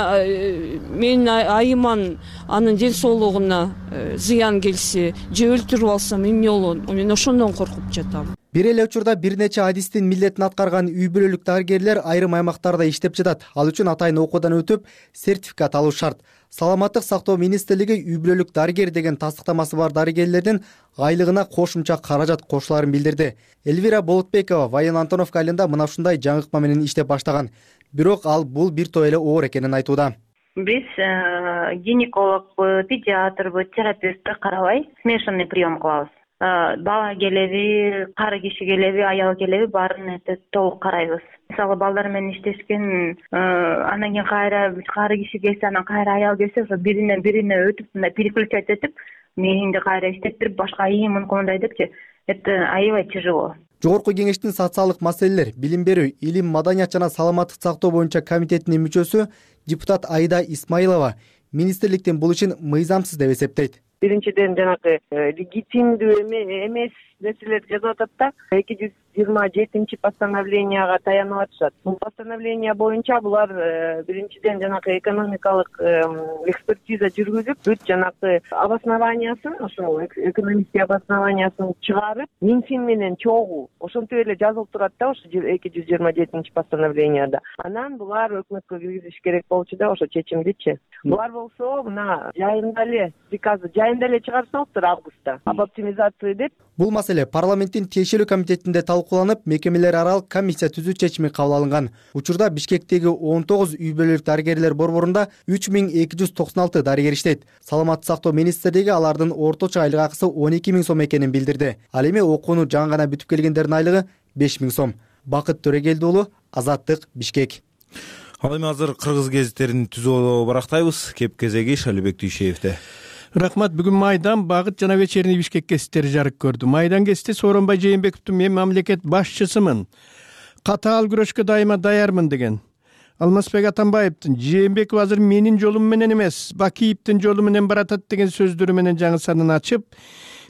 мен айыман анын ден соолугуна зыян келсе, же өлтүрүп алсам эмне болот? Мен ошондон коркуп жатам. Бир эле учурда бир нече адистин милдетин аткарган үй бүлөлүк дарыгерлер айрым аймактарда иштеп жатат. Ал үчүн атайын окуудан өтүп, сертификат алуу шарт. Саламаттык сактоо министрлиги үй бүлөлүк дарыгер деген тастыктамасы бар дарыгерлердин айлыгына кошумча каражат кошуларын билдирди. Эльвира Болотбекова Воен Антоновка айылында мына ушундай жаңыкма менен иштеп баштаган. Бирок ал бул бир топ эле оор экенин айтууда. Биз гинекологбу, педиатрбу, терапевтти карабай смешанный прием кылабыз. Бала келеби, кары киши келеби, аял келеби баарын толук карайбыз. Мисалы балдар менен иштешкен, анан кийин кайра кары киши келсе, анан кайра аял келсе, ошо бирине бирине өтүп, мындай переключать этип, мээңди кайра иштеттирип, башка ийин мындай депчи, это аябай тяжело. Жогорку кеңештин социалдык маселелер, билим берүү, илим, маданият жана саламаттык сактоо боюнча комитетинин мүчөсү депутат Айда Исмаилова министрликтин бул ишин мыйзамсыз деп эсептейт. Биринчиден жанагы легитимдүү эмес нерселерди жазып атат да, эки жүз жыйырма жетинчи постановленияга таянып атышат. Бул постановление боюнча булар биринчиден жанагы экономикалык экспертиза жүргүзүп, бүт жанагы обоснованиясын, ошол экономический обоснованиясын чыгарып, Минфин менен чогуу ошентип эле жазылып турат да, ошо эки жүз жыйырма жетинчи постановленияда. Анан булар өкмөткө киргизиш керек болчу да, ошо чечимдичи. Булар болсо мына жайында эле приказы жайында эле чыгарсаңыздар августта об оптимизации деп. Бул маселе парламенттин тиешелүү комитетинде талкууланып, мекемелер аралык комиссия түзүү чечими кабыл алынган. Учурда Бишкектеги он тогуз үй бүлөлүк дарыгерлер борборунда үч миң эки жүз токсон алты дарыгер иштейт. Саламаттык сактоо министрлиги алардын орточо айлык акысы он эки миң сом экенин билдирди. Ал эми окууну жаңы гана бүтүп келгендердин айлыгы беш миң сом. Бакыт Төрөгелди уулу, Азаттык, Бишкек. Ал эми азыр кыргыз гезиттерин түзөө барактайбыз. Кеп кезеги Шалибек Дүйшеевде. Рахмат. Бүгүн Майдан, Багыт жана Вечерний Бишкек гезиттери жарык көрдү. Майдан гезити Сооронбай Жээнбековдун "Мен мамлекет башчысымын, катаал күрөшкө дайыма даярмын" деген. Алмазбек Атамбаевдин "Жээнбеков азыр менин жолум менен эмес, Бакиевдин жолу менен баратат" деген сөздөрү менен жаңы санын ачып,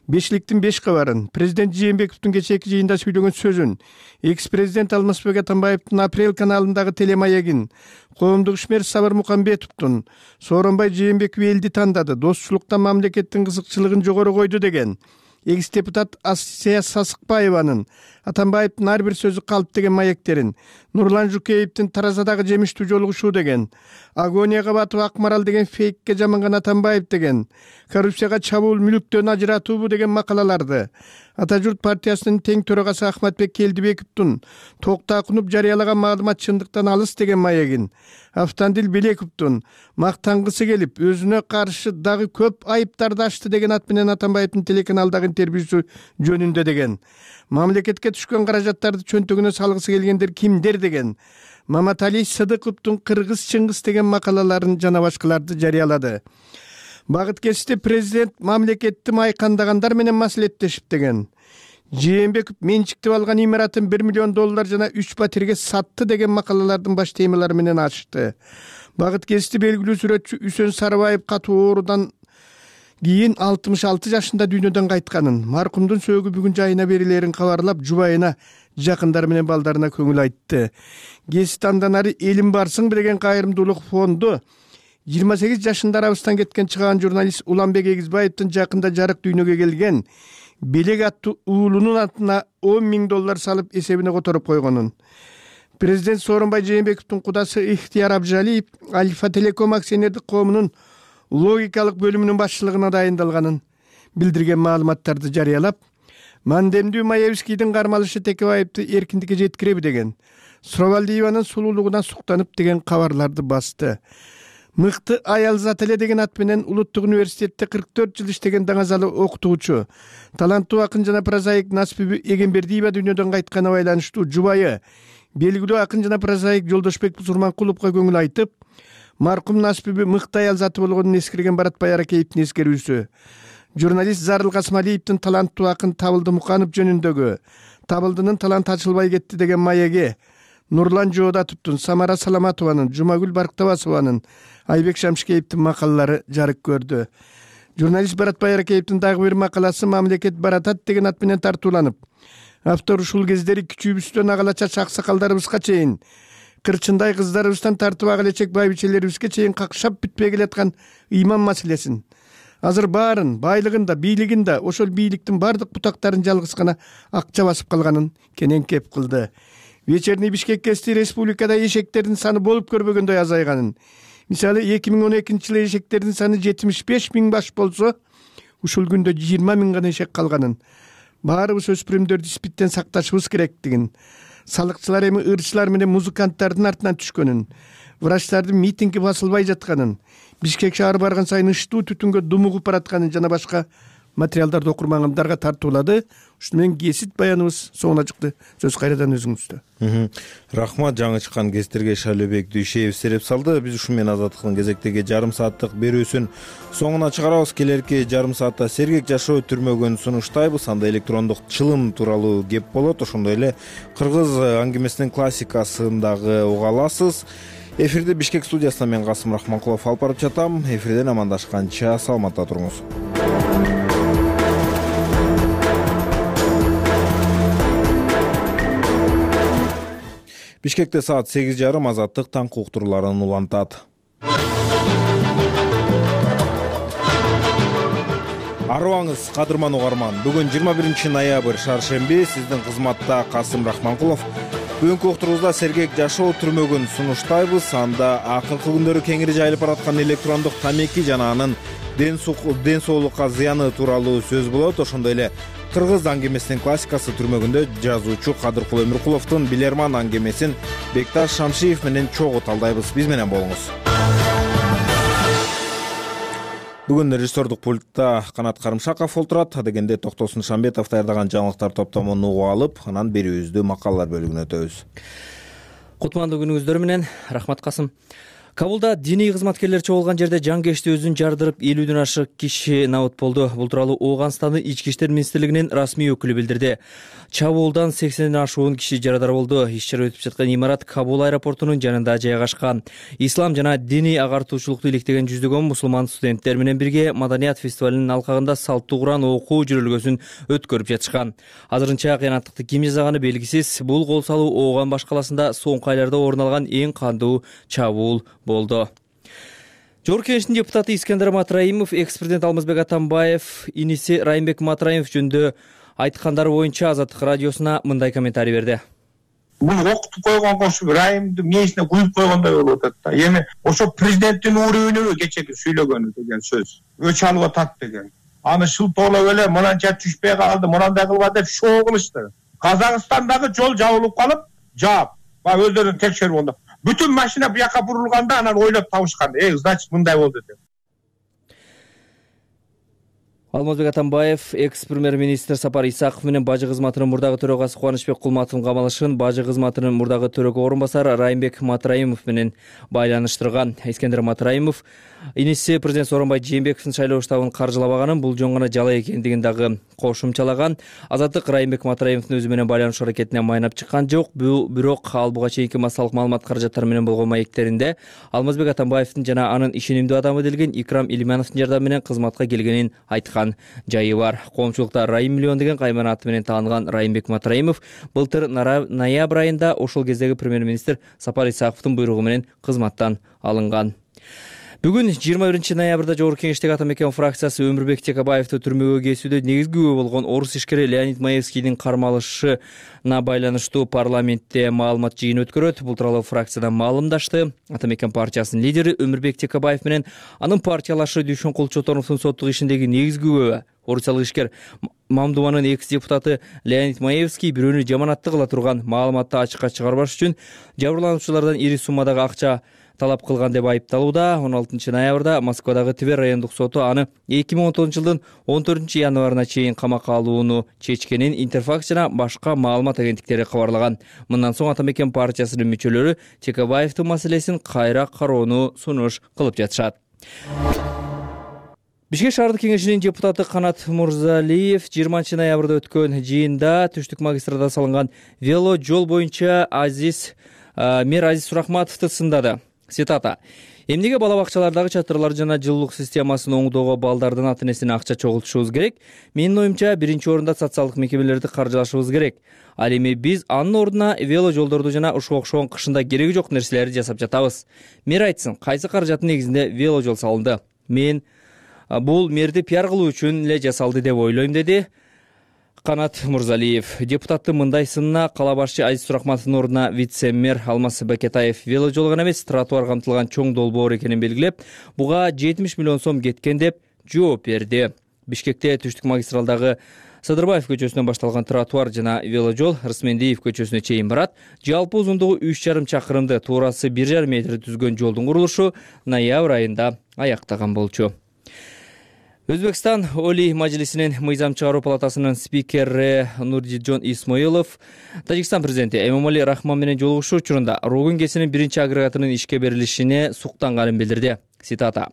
бешликтин беш кабарын, президент Жээнбековдун кечээки жыйында сүйлөгөн сөзүн, экс-президент Алмазбек Атамбаевдин Апрель каналындагы телемаегин, коомдук ишмер Сабыр Мукамбетовдун "Сооронбай Жээнбеков элди тандады, достчулукта мамлекеттин кызыкчылыгын жогору койду" деген, экс-депутат Асия Сасыкбаеванын Атамбаевдин ар бир сөзү калп деген маектерин, Нурлан Жукеевдин Таразадагы жемиштүү жолугушуу деген, Агония Кабатова Акмарал деген фейкке жаманган Атамбаев деген, коррупцияга чабуул мүлүктөн ажыратуубу деген макалаларды, Ата журт партиясынын тең төрагасы Ахматбек Келдибековдун Токтакунуп жарыялаган маалымат чындыктан алыс деген маегин, Автандил Белековдун мактангысы келип, өзүнө каршы дагы көп айыптарды ачты деген ат менен Атамбаевдин телеканалдагы интервьюсу жөнүндө деген, мамлекетке түшкөн каражаттарды чөнтөгүнө салгысы келгендер кимдер деген, Маматали Сыдыковдун Кыргыз Чыңгыз деген макалаларын жана башкаларды жарыялады. Багыт гезити президент мамлекетти майкандагандар менен маселеттешип деген, Жээнбеков менчиктеп алган имаратын бир миллион доллар жана үч батирге сатты деген макалалардын баш темалары менен ачты. Багыт гезити белгилүү сүрөтчү Үсөн Сарыбаев катуу оорудан кийин алтымыш алты жашында дүйнөдөн кайтканын, маркумдун сөөгү бүгүн жайына берилерин кабарлап, жубайына, жакындары менен балдарына көңүл айтты. Гезит андан ары "Элим барсың" деген кайрымдуулук фонду жыйырма сегиз жашында арабыздан кеткен чыгаан журналист Уланбек Эгизбаевдин жакында жарык дүйнөгө келген Белек аттуу уулунун атына он миң доллар салып эсебине которуп койгонун. Президент Сооронбай Жээнбековдун кудасы Ихтияр Абжалиев Альфа Телеком акционердик коомунун логикалык бөлүмүнүн башчылыгына дайындалганын билдирген маалыматтарды жарыялап, Мандемдүү Маевскийдин кармалышы Текебаевди эркиндикке жеткиреби деген, Суравалдиеванын сулуулугуна суктанып деген кабарларды басты. Мыкты аял зат эле деген ат менен Улуттук университетте кырк төрт жыл иштеген даңазалы окутуучу, таланттуу акын жана прозаик Насипи Эгембердиева дүйнөдөн кайтканы байланыштуу жубайы, белгилүү акын жана прозаик Жолдошбек Сурманкуловго көңүл айтып, маркум Насипи мыкты аял заты болгонун эскерген Баратбай Аракеевдин эскерүүсү, журналист Зарыл Касмалиевдин таланттуу акын Табылды Муканов жөнүндөгү "Табылдынын таланты ачылбай кетти" деген маеги, Нурлан Жоодатовдун, Самара Саламатованын, Жумагүл Барктабасованын, Айбек Шамшикеевдин макалалары жарык көрдү. Журналист Баратбай Аракеевдин дагы бир макаласы "Мамлекет баратат" деген ат менен тартууланып, автор ушул кездери кичүүбүздөн агалача аксакалдарыбызга чейин, кырчындай кыздарыбыздан тартып ак элечек байбичелерибизге чейин какшап бүтпөй келаткан ыйман маселесин, азыр баарын, байлыгын да, бийлигин да, ошол бийликтин бардык бутактарын жалгыз гана акча басып калганын кенен кеп кылды. Вечерний Бишкек гезити республикада эшектердин саны болуп көрбөгөндөй азайганын, мисалы эки миң он экинчи жылы эшектердин саны жетимиш беш миң баш болсо, ушул күндө жыйырма миң гана эшек калганын, баарыбыз өспүрүмдөрдү испиттен сакташыбыз керектигин, салыкчылар эми ырчылар менен музыканттардын артынан түшкөнүн, врачтардын митинги басылбай жатканын, Бишкек шаары барган сайын ыштуу түтүнгө думугуп баратканын жана башка материалдарды окурмандарга тартуулады. Ушуну менен кесип баяныбыз соңуна чыкты. Сөз кайрадан өзүңүздө. Рахмат, жаңы чыккан кестерге Шайлообек Дүйшеев сереп салды. Биз ушу менен Азаттыктын кезектеги жарым сааттык берүүсүн соңуна чыгарабыз. Келерки жарым саатта сергек жашоо түрмөгүн сунуштайбыз. Анда электрондук чылым тууралуу кеп болот. Ошондой эле кыргыз аңгемесинин классикасындагы уга аласыз. Эфирде Бишкек студиясынан мен Касым Рахманкулов алып барып жатам. Эфирден амандашканча саламатта туруңуз. Бишкекте саат сегиз жарым Азаттык таңкы уктурууларын улантат. Арыбаңыз, кадырман угарман. Бүгүн жыйырма биринчи ноябрь шаршемби. Сиздин кызматта Касым Рахманкулов. Бүгүнкү уктуруубузда сергек жашоо түрмөгүн сунуштайбыз. Анда акыркы күндөрү кеңири жайылып бараткан электрондук тамеки жана анын ден соолукка зыяны тууралуу сөз болот. Ошондой эле кыргыз аңгемесинин классикасы түрмөгүндө жазуучу Кадыркул Өмүркуловдун Билерман аңгемесин Бекташ Шамшиев менен чогуу талдайбыз. Биз менен болуңуз. Бүгүн режиссердук пультта Канат Карымшаков олтурат. Адегенде Токтосун Шамбетов даярдаган жаңылыктар топтомун угуп алып, анан берүүбүздү макалалар бөлүгүнө өтөбүз. Кутмандуу күнүңүздөр менен. Рахмат, Касым. Кабулда диний кызматкерлер чогулган жерде жангешти өзүн жардырып, элүүдөн ашык киши набыт болду. Бул тууралуу Ооганстандын Ички иштер министрлигинин расмий өкүлү билдирди. Чабуулдан сексенден ашуун киши жарадар болду. Иш-чара өтүп жаткан имарат Кабул аэропортунун жанында жайгашкан. Ислам жана диний агартуучулукту иликтеген жүздөгөн мусулман студенттер менен бирге Маданият фестивалынын алкагында салттуу Куран окуу жүрөлгөсүн өткөрүп жатышкан. Азырынча кыянаттыкты ким жасаганы белгисиз. Бул кол салуу Ооган баш каласында соңку айларда орун алган эң кандуу чабуул болду. Жогорку Кеңештин депутаты Искендер Матраимов, экс-президент Алмазбек Атамбаев, иниси Райымбек Матраимов жөнүндө айткандары боюнча Азаттык радиосуна мындай комментарий берди. Муну окутуп койгон кошу Райымды мээсине куюп койгондой болуп атат да. Эми ошо президенттин уурүнүбү кечеги сүйлөгөнү деген сөз. Өч алып атат деген. Аны шылтоолоп эле мынанча түшпөй калды, мынандай кылба деп шоо кылышты. Казакстандагы жол жабылып калып, жаап, баягы өздөрүн текшерип онда. Бүтүн машина буяка бурулганда анан ойлоп табышкан. Э, значит, мындай болду деп. Алмазбек Атамбаев экс-премьер-министр Сапар Исаков менен бажы кызматынын мурдагы төрагасы Кубанычбек Кулматовдун камалышын бажы кызматынын мурдагы төрөгө орун басары Райымбек Матраимов менен байланыштырган. Искендер Матраимов иниси президент Сооронбай Жээнбековдун шайлоо штабын каржылабаганын, бул жөн гана жала экендигин дагы кошумчалаган. Азаттык Райымбек Матраимовдун өзү менен байланышуу аракетине майнап чыккан жок. Бирок ал буга чейинки массалык маалымат каражаттары менен болгон маектеринде Алмазбек Атамбаевдин жана анын ишенимдүү адамы делген Икрам Илимановдун жардамы менен кызматка келгенин айткан жайы бар. Коомчулукта Райым миллион деген кайман аты менен таанылган Райымбек Матраимов былтыр ноябрь айында ошол кездеги премьер-министр Сапар Исаковдун буйругу менен кызматтан алынган. Бүгүн жыйырма биринчи ноябрда Жогорку Кеңештеги Ата Мекен фракциясы Өмүрбек Текебаевди түрмөгө кесүүдө негизги күбө болгон орус ишкери Леонид Маевскийдин кармалышына байланыштуу парламентте маалымат жыйыны өткөрөт. Бул тууралуу фракциядан маалымдашты. Ата Мекен партиясынын лидери Өмүрбек Текебаев менен анын партиялашы Дүйшөн Кулчотоновдун соттук ишиндеги негизги күбө орусиялык ишкер Мамдуманын экс-депутаты Леонид Маевский бирөөнү жаманатты кыла турган маалыматты ачыкка чыгарбаш үчүн жабырлануучулардан ири суммадагы акча талап кылган деп айыпталууда. он алтынчы ноябрда Москвадагы Тивер райондук соту аны эки миң он тогузунчу жылдын он төртүнчү январына чейин камакка алууну чечкенин Интерфакс жана башка маалымат агенттиктери кабарлаган. Мындан соң Ата Мекен партиясынын мүчөлөрү Текебаевдин маселесин кайра кароону сунуш кылып жатышат. Бишкек шаардык кеңешинин депутаты Канат Мурзалиев жыйырманчы ноябрда өткөн жыйында Түштүк магистрада салынган вело жол боюнча Азиз мэр Азиз Сурахматовду сындады. Цитата: «Эмнеге бала бакчалардагы чатырлар жана жылуулук системасын оңдоого балдардын ата-энесине акча чогултушубуз керек? Менин оюмча, биринчи орунда социалдык мекемелерди каржылашыбыз керек. Ал эми биз анын ордуна вело жолдорду жана ушуга окшогон кышында кереги жок нерселерди жасап жатабыз. Мэр айтсын, кайсы каражаттын негизинде вело жол салынды? Мен бул мэрди пиар кылуу үчүн эле жасалды деп ойлойм», деди Канат Мурзалиев. Депутаттын мындай сынына кала башчы Азиз Сурахматовдун ордуна вице-мэр Алмаз Бакетаев вело жол гана эмес, тротуар камтылган чоң долбоор экенин белгилеп, буга жетимиш миллион сом кеткен деп жооп берди. Бишкекте Түштүк магистралдагы Садырбаев көчөсүнөн башталган тротуар жана вело жол Рысмендиев көчөсүнө чейин барат. Жалпы узундугу үч жарым чакырымды, туурасы бир жарым метр түзгөн жолдун курулушу ноябрь айында аяктаган болчу. Өзбекстан Олий Мажлисинин мыйзам чыгаруу палатасынын спикери Нуржитжон Исмоилов Тажикстан президенти Эмомали Рахмон менен жолугушуу учурунда Рогун КЭСинин биринчи агрегатынын ишке берилишине суктанганын билдирди. Цитата: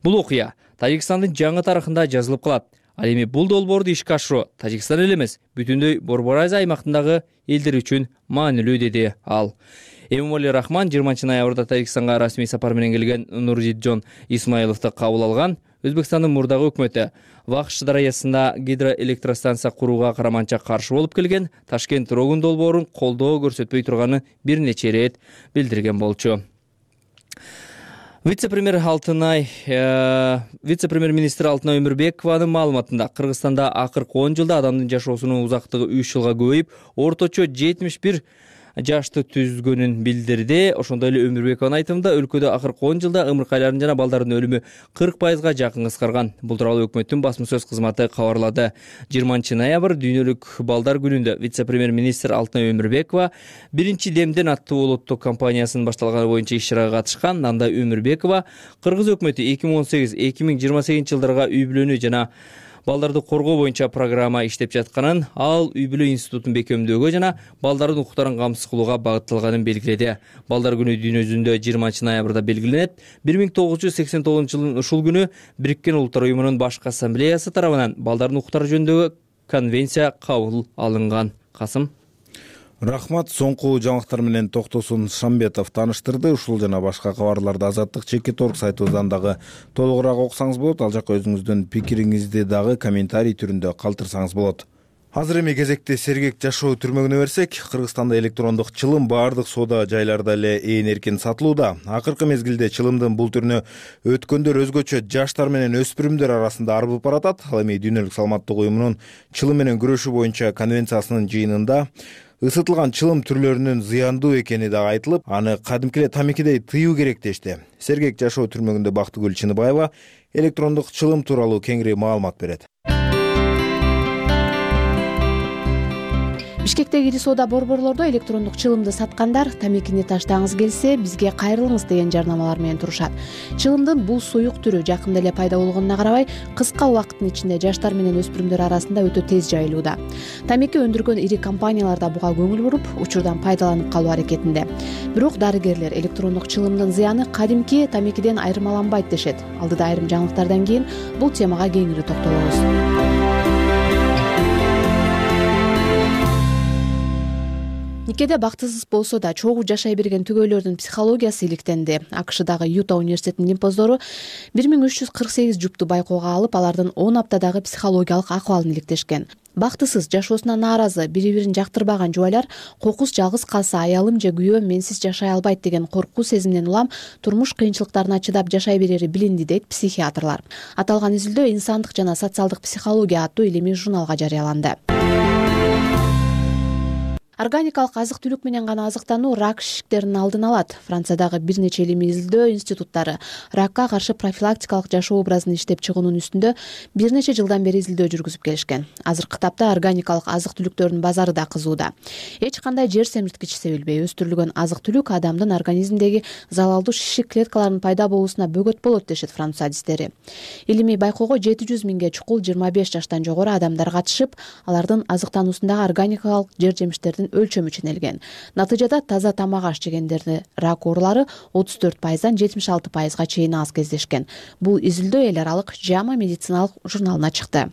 "Бул окуя Тажикстандын жаңы тарыхында жазылып калат. Ал эми бул долбоорду ишке ашыруу Тажикстан эле эмес, бүтүндөй Борбор Азия аймактындагы элдер үчүн маанилүү", деди ал. Эмомали Рахмон жыйырманчы ноябрда Тажикстанга расмий сапар менен келген Нуржитжон Исмоиловду кабыл алган. Өзбекстандын мурдагы өкмөтү Вахш дарыясында гидроэлектростанция курууга караманча каршы болуп келген, Ташкент Рогун долбоорун колдоо көрсөтпөй турганын бир нече ирет билдирген болчу. Вице-премьер Алтынай, вице-премьер-министр Алтынай Өмүрбекованын маалыматында Кыргызстанда акыркы он жылда адамдын жашоосунун узактыгы үч жылга көбөйүп, орточо жетимиш бир жашты түзгөнүн билдирди. Ошондой эле Өмүрбекованын айтымында өлкөдө акыркы он жылда ымыркайлардын жана балдардын өлүмү кырк пайызга жакын кыскарган. Бул тууралуу өкмөттүн басма сөз кызматы кабарлады. жыйырманчы ноябрь дүйнөлүк балдар күнүндө вице-премьер-министр Алтынай Өмүрбекова биринчи демден аттуу улуттук кампаниясынын башталганы боюнча иш-чарага катышкан. Анда Өмүрбекова Кыргыз өкмөтү эки миң он сегиз эки миң жыйырма сегизинчи жылдарга үй бүлөнү жана балдарды коргоо боюнча программа иштеп жатканын, ал үй бүлө институтун бекемдөөгө жана балдардын укуктарын камсыз кылууга багытталганын белгиледи. Балдар күнү дүйнө жүзүндө жыйырманчы ноябрда белгиленет. бир миң тогуз жүз сексен тогузунчу жылдын ушул күнү Бириккен Улуттар уюмунун башкы ассамблеясы тарабынан балдардын укуктары жөнүндөгү конвенция кабыл алынган. Касым Рахмат. Соңку жаңылыктар менен Токтосун Шамбетов тааныштырды. Ушул жана башка кабарларды Азаттык чекит орг сайтыбыздан дагы толугураак окусаңыз болот. Ал жакка өзүңүздүн пикириңизди дагы комментарий түрүндө калтырсаңыз болот. Азыр эми кезекти сергек жашоо түрмөгүнө берсек, Кыргызстанда электрондук чылым баардык соода жайларда эле ээн эркин сатылууда. Акыркы мезгилде чылымдын бул түрүнө өткөндөр өзгөчө жаштар менен өспүрүмдөр арасында арбып баратат. Ал эми Дүйнөлүк саламаттык уюмунун чылым менен күрөшүү боюнча конвенциясынын жыйынында ысытылган чылым түрлөрүнүн зыяндуу экени дагы айтылып, аны кадимки эле тамекидей тыюу керек дешти. Сергек жашоо түрмөгүндө Бактыгүл Чыныбаева электрондук чылым тууралуу кеңири маалымат берет. Бишкектеги ири соода борборлордо электрондук чылымды саткандар тамекини таштагыңыз келсе бизге кайрылыңыз деген жарнамалар менен турушат. Чылымдын бул суюк түрү жакында эле пайда болгонуна карабай, кыска убакыттын ичинде жаштар менен өспүрүмдөр арасында өтө тез жайылууда. Тамеки өндүргөн ири компаниялар да буга көңүл буруп, учурдан пайдаланып калуу аракетинде. Бирок дарыгерлер электрондук чылымдын зыяны кадимки тамекиден айырмаланбайт дешет. Алдыда айрым жаңылыктардан кийин бул темага кеңири токтолобуз. Никеде бактысыз болсо да чогуу жашай берген түгөйлөрдүн психологиясы иликтенди. АКШдагы Юта университетинин лимпоздору бир миң үч жүз кырк сегиз жупту байкоого алып, алардын он аптадагы психологиялык акыбалын иликтешкен. Бактысыз, жашоосуна нааразы, бири-бирин жактырбаган жубайлар кокус жалгыз калса аялым же күйөөм менсиз жашай албайт деген коркуу сезиминен улам турмуш кыйынчылыктарына чыдап жашай берери билинди, дейт психиатрлар. Аталган изилдөө Инсандык жана социалдык психология аттуу илимий журналга жарыяланды. Органикалык азык-түлүк менен гана азыктануу рак шишиктеринин алдын алат. Франциядагы бир нече илимий изилдөө институттары ракка каршы профилактикалык жашоо образын иштеп чыгуунун үстүндө бир нече жылдан бери изилдөө жүргүзүп келишкен. Азыркы тапта органикалык азык-түлүктөрдүн базары да кызууда. Эч кандай жер семирткич себилбей өстүрүлгөн азык-түлүк адамдын организминдеги залалдуу шишик клеткаларынын пайда болуусуна бөгөт болот дешет француз адистери. Илимий байкоого жети жүз миңге чукул жыйырма беш жаштан жогору адамдар катышып, алардын азыктануусундагы органикалык жер жемиштердин өлчөмү ченелген. Натыйжада таза тамак аш жегендерди рак оорулары отуз төрт пайыздан жетимиш алты пайызга чейин аз кездешкен. Бул изилдөө эл аралык жама медициналык журналына чыкты.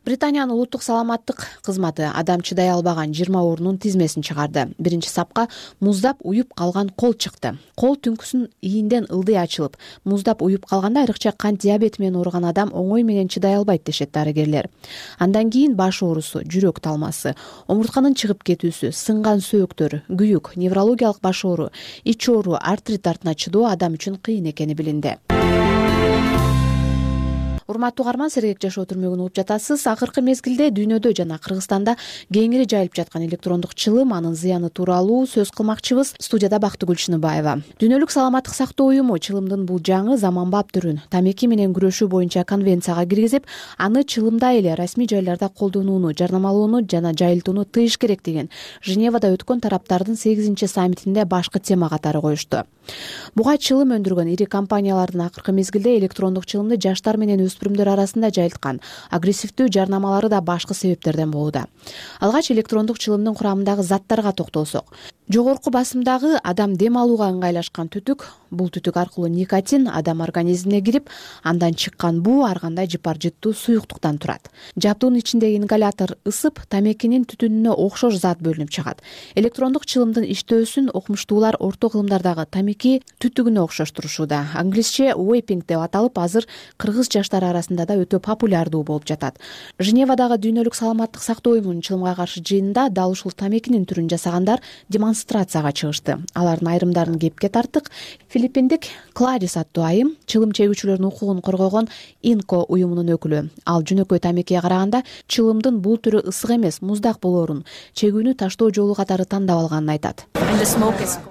Британиянын улуттук саламаттык кызматы адам чыдай албаган жыйырма оорунун тизмесин чыгарды. Биринчи сапка муздап уюп калган кол чыкты. Кол түнкүсүн ийинден ылдый ачылып, муздап уюп калганда айрыкча кант диабети менен ооруган адам оңой менен чыдай албайт дешет дарыгерлер. Андан кийин баш оорусу, жүрөк талмасы, омуртканын чыгып кетүүсү, сынган сөөктөр, күйүк, неврологиялык баш оору, ич оору, артрит артына чыдоо адам үчүн кыйын экени билинди. Урматтуу угарман, сергек жашоо түрмөгүн угуп жатасыз. Акыркы мезгилде дүйнөдө жана Кыргызстанда кеңири жайылып жаткан электрондук чылым, анын зыяны тууралуу сөз кылмакчыбыз. Студияда Бактыгүл Чыныбаева. Дүйнөлүк саламаттык сактоо уюму чылымдын бул жаңы заманбап түрүн тамеки менен күрөшүү боюнча конвенцияга киргизип, аны чылымдай эле расмий жайларда колдонууну, жарнамалоону жана жайылтууну тыйыш керек деген Женевада өткөн тараптардын сегизинчи саммитинде башкы тема катары коюшту. Буга чылым өндүргөн ири компаниялардын акыркы мезгилде электрондук чылымды жаштар менен өспүрүмдөр арасында жайылткан агрессивдүү жарнамалары да башкы себептерден болууда. Алгач электрондук чылымдын курамындагы заттарга токтолсок, жогорку басымдагы адам дем алууга ыңгайлашкан түтүк, бул түтүк аркылуу никотин адам организмине кирип, андан чыккан буу ар кандай жыпар жыттуу суюктуктан турат. Жабдуунун ичиндеги ингалятор ысып, тамекинин түтүнүнө окшош зат бөлүнүп чыгат. Электрондук чылымдын иштөөсүн окумуштуулар орто кылымдардагы тамеки түтүгүнө окшоштурушууда. Англисче вейпинг деп аталып, азыр кыргыз жаштары арасында да өтө популярдуу болуп жатат. Женевадагы дүйнөлүк саламаттык сактоо уюмунун чылымга каршы жыйынында дал ушул тамекинин түрүн жасагандар демонстрацияга чыгышты. Алардын айрымдарын кепке тарттык. Филиппиндик Кларис аттуу айым чылым чегүүчүлөрдүн укугун коргогон Инко уюмунун өкүлү. Ал жөнөкөй тамекиге караганда чылымдын бул түрү ысык эмес, муздак болоорун, чегүүнү таштоо жолу катары тандап алганын айтат.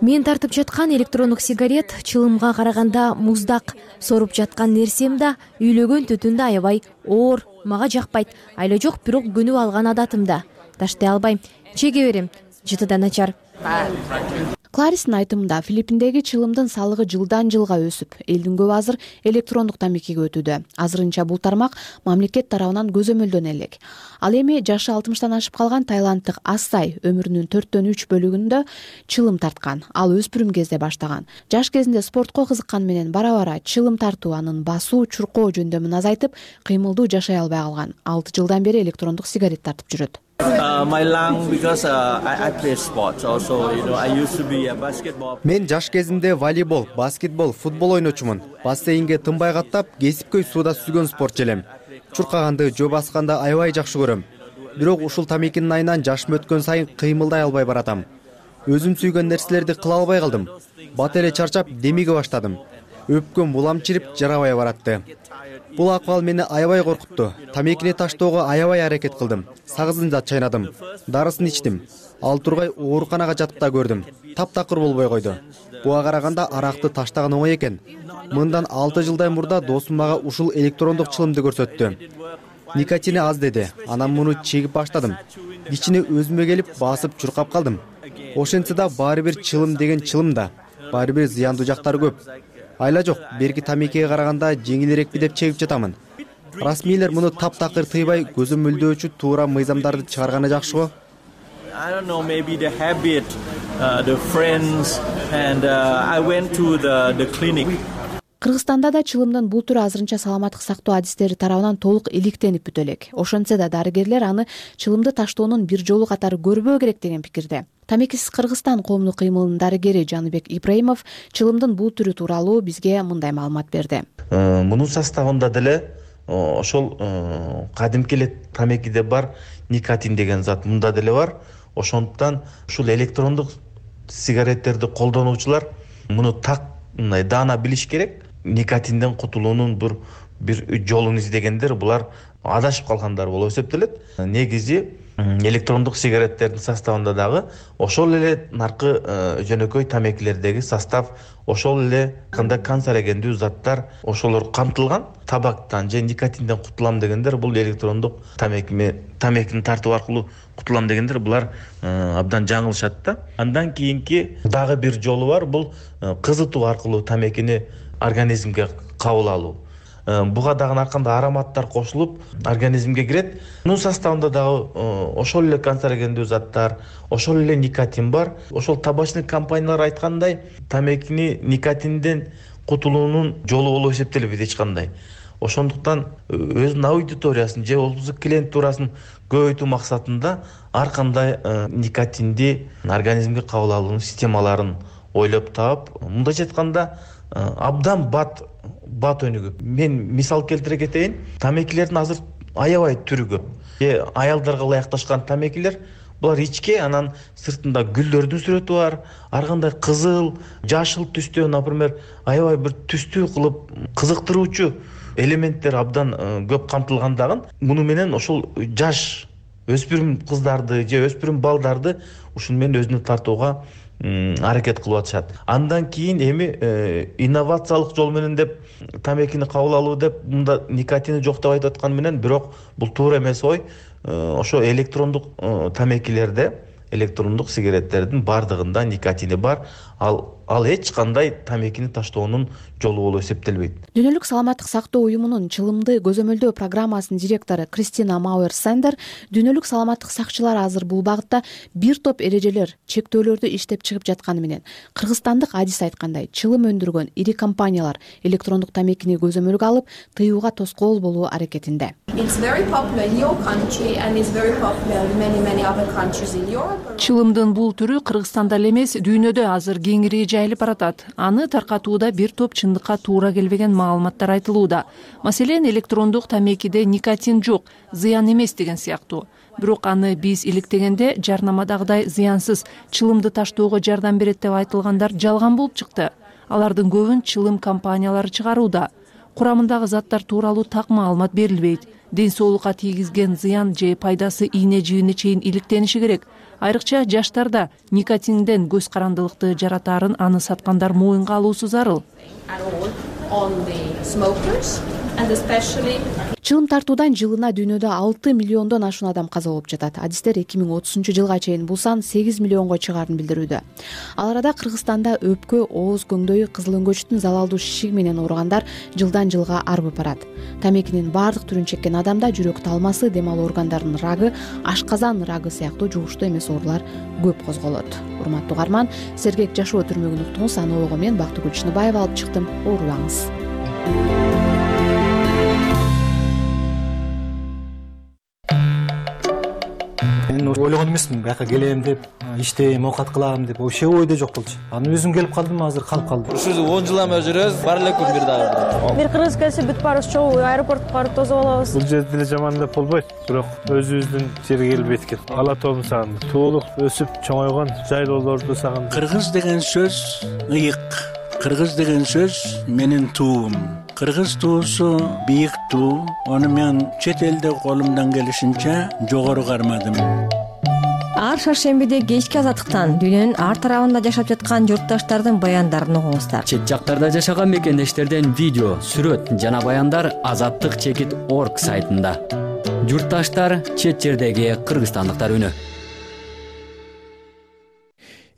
Мен тартып жаткан электрондук сигарет чылымга караганда муздак. Соруп жаткан нерсем да үйлөгөн түтүн да аябай оор, мага жакпайт. Айла жок, бирок көнүп алган адатымда. Таштай албайм, чеге берем. Жыты да начар. Кларистин айтымында Филиппиндеги чылымдын салыгы жылдан жылга өсүп, элдин көбү азыр электрондук тамекиге өтүүдө. Азырынча бул тармак мамлекет тарабынан көзөмөлдөнө элек. Ал эми жашы алтымыштан ашып калган тайланддык Ассай өмүрүнүн төрттөн үч бөлүгүндө чылым тарткан. Ал өспүрүм кезде баштаган. Жаш кезинде спортко кызыккан менен бара-бара чылым тартуу анын басуу, чуркоо жөндөмүн азайтып, кыймылдуу жашай албай калган. алты жылдан бери электрондук сигарет тартып жүрөт. Мен жаш кезимде волейбол, баскетбол, футбол ойночумун. Бассейнге тынбай каттап, кесипкөй сууда сүзгөн спортчу элем. Чуркаганды, жөө басканды аябай жакшы көрөм. Бирок ушул тамекинин айынан жашым өткөн сайын кыймылдай албай баратам. Өзүм сүйгөн нерселерди кыла албай калдым. Бат эле чарчап, демиге баштадым. Өпкөм булам чирип, жарабай баратты. Бул акыбал мени аябай коркутту. Тамекини таштоого аябай аракет кылдым. Сагызын да чайнадым. Дарысын ичтим. Ал тургай ооруканага жатып да көрдүм. Таптакыр болбой койду. Буга караганда аракты таштаган оңой экен. Мындан алты жылдай мурда досум мага ушул электрондук чылымды көрсөттү. Никотини аз деди. Анан муну чегип баштадым. Кичине өзүмө келип, басып чуркап калдым. Ошентсе да баары бир чылым деген чылым да. Баары бир зыяндуу жактары көп. Айла жок, берки тамекиге караганда жеңилирекпи деп чегип жатамын. Расмийлер муну таптакыр тыйбай, көзөмөлдөөчү туура мыйзамдарды чыгарганы жакшы го. Кыргызстанда да чылымдын бул түрү азырынча саламаттык сактоо адистери тарабынан толук иликтенип бүтө элек. Ошентсе да дарыгерлер аны чылымды таштоонун бир жолу катары көрбөө керек деген пикирде. Тамекисиз Кыргызстан коомдук кыймылынын дарыгери Жаныбек Ибраимов чылымдын бул түрү тууралуу бизге мындай маалымат берди. Мунун составында деле ошол кадимки эле тамекиде бар никотин деген зат мында деле бар. Ошондуктан ушул электрондук сигареттерди колдонуучулар муну так мындай даана билиш керек. Никотинден кутулуунун бир бир жолун издегендер булар адашып калгандар болуп эсептелет. Негизи электрондук сигареттердин составында дагы ошол эле наркы жөнөкөй тамекилердеги состав, ошол эле кандай канцерогендүү заттар ошолор камтылган. Табактан же никотинден кутулам дегендер бул электрондук тамекиме тамекини тартуу аркылуу кутулам дегендер булар абдан жаңылышат да. Андан кийинки дагы бир жолу бар, бул кызытуу аркылуу тамекини организмге кабыл алуу. Буга дагы ар кандай ароматтар кошулуп организмге кирет. Мунун составында дагы ошол эле канцерогендүү заттар, ошол эле никотин бар. Ошол табачный компаниялар айткандай, тамекини никотинден кутулуунун жолу болуп эсептелбейт эч кандай. Ошондуктан өзүнүн аудиториясын же болбосо клиент турасын көбөйтүү максатында ар кандай никотинди организмге кабыл алуунун системаларын ойлоп таап, мындайча айтканда абдан бат бат өнүгүп. Мен мисал келтире кетейин. Тамекилердин азыр аябай түрү көп. Э аялдарга ылайыкташкан тамекилер, булар ичке, анан сыртында гүлдөрдүн сүрөтү бар, ар кандай кызыл, жашыл түстө, например, аябай бир түстүү кылып кызыктыруучу элементтер абдан көп камтылгандагын. Муну менен ошол жаш өспүрүм кыздарды же өспүрүм балдарды ушуну менен өзүнө тартууга аракет кылып атышат. Андан кийин эми инновациялык жол менен деп тамекини кабыл алуу деп мында никотини жок деп айтып аткан менен, бирок бул туура эмес ой. Ошо электрондук тамекилерде, электрондук сигареттердин бардыгында никотини бар. Ал ал эч кандай тамекини таштоонун жолу болуп эсептелбейт. Дүйнөлүк саламаттык сактоо уюмунун чылымды көзөмөлдөө программасынын директору Кристина Мауэр Сандер дүйнөлүк саламаттык сакчылар азыр бул багытта бир топ эрежелер, чектөөлөрдү иштеп чыгып жатканы менен кыргызстандык адис айткандай чылым өндүргөн ири компаниялар электрондук тамекини көзөмөлгө алып тыюуга тоскоол болуу аракетинде. Чылымдын бул түрү Кыргызстанда эле эмес, дүйнөдө азыр кеңири жайылып баратат. Аны таркатууда бир топ чындыкка туура келбеген маалыматтар айтылууда. Маселен, электрондук тамекиде никотин жок, зыян эмес деген сыяктуу. Бирок аны биз иликтегенде жарнамадагыдай зыянсыз чылымды таштоого жардам берет деп айтылгандар жалган болуп чыкты. Алардын көбүн чылым компаниялары чыгарууда. Курамындагы заттар тууралуу так маалымат берилбейт. Ден соолукка тийгизген зыян же пайдасы ийне жибине чейин иликтениши керек. Айрыкча жаштарда никотинден көз карандылыкты жаратаарын аны саткандар моюнга алуусу зарыл. Чылым тартуудан жылына дүйнөдө алты миллиондон ашуун адам каза болуп жатат. Адистер эки миң отузунчу жылга чейин бул сан сегиз миллионго чыгаарын билдирүүдө. Ал арада Кыргызстанда өпкө, ооз көңдөй, кызыл өңгөчтүн залалдуу шишиги менен ооругандар жылдан жылга арбып барат. Тамекинин баардык түрүн чеккен адамда жүрөк талмасы, дем алуу органдарынын рагы, ашказан рагы сыяктуу жугуштуу эмес оорулар көп козголот. Урматтуу угарман, сергек жашоо түрмөгүн уктуңуз. Аны ого мен Бактыгүл Чыныбаева алып чыктым. Оорубаңыз. Мен ойлогон эмесмин, бияка келем деп, иштейм, оокат кылам деп, вообще ойдо жок болчу. Аны өзүм келип калдым, азыр калып калдым. Ушул он жыл эме жүрөбүз, бар эле күн бир дагы. Бир кыргыз келсе бүт баарыбыз чогуу аэропортко барып тосуп алабыз. Бул жерде деле жаман деп болбойт, бирок өзүбүздүн жерге келбейт экен. Ала тоом сагындым. Туулук өсүп чоңойгон жайлоолорду сагындым. Кыргыз деген сөз ыйык. Кыргыз деген сөз менин туум. Кыргыз туусу бийик туу. Аны мен чет элде колумдан келишинче жогору кармадым. Ар шаршембиде кечки азаттыктан дүйнөнүн ар тарабында жашап жаткан журтташтардын баяндарын угуңуздар. Чет жактарда жашаган мекендештерден видео, сүрөт жана баяндар азаттык чекит орг сайтында. Журтташтар, чет жердеги кыргызстандыктар үнү.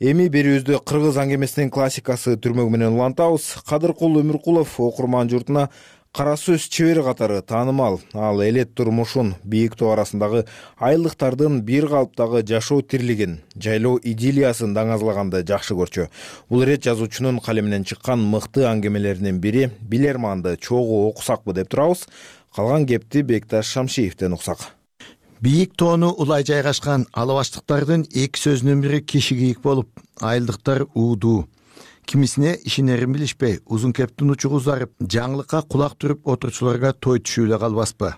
Эми берүүбүздө кыргыз аңгемесинин классикасы түрмөк менен улантабыз. Кадыркул Өмүркулов окурман журтуна кара сөз чебери катары таанымал. Ал элет турмушун, бийик тоо арасындагы айылдыктардын бир калыптагы жашоо тирлигин, жайлоо идиллиясын даңазлаганды жакшы көрчү. Бул ирет жазуучунун калеминен чыккан мыкты аңгемелеринин бири. Билерманды чогуу окусакпы деп турабыз. Калган кепти Бекташ Шамшиевден уксак. Бийик тоону улай жайгашкан алабаштыктардын эки сөзүнүн бири кишигийик болуп, айылдыктар уудуу. Кимисине ишенерин билишпей, узун кептин учугу узарып, жаңылыкка кулак түрүп отурчуларга той түшүү эле калбаспы.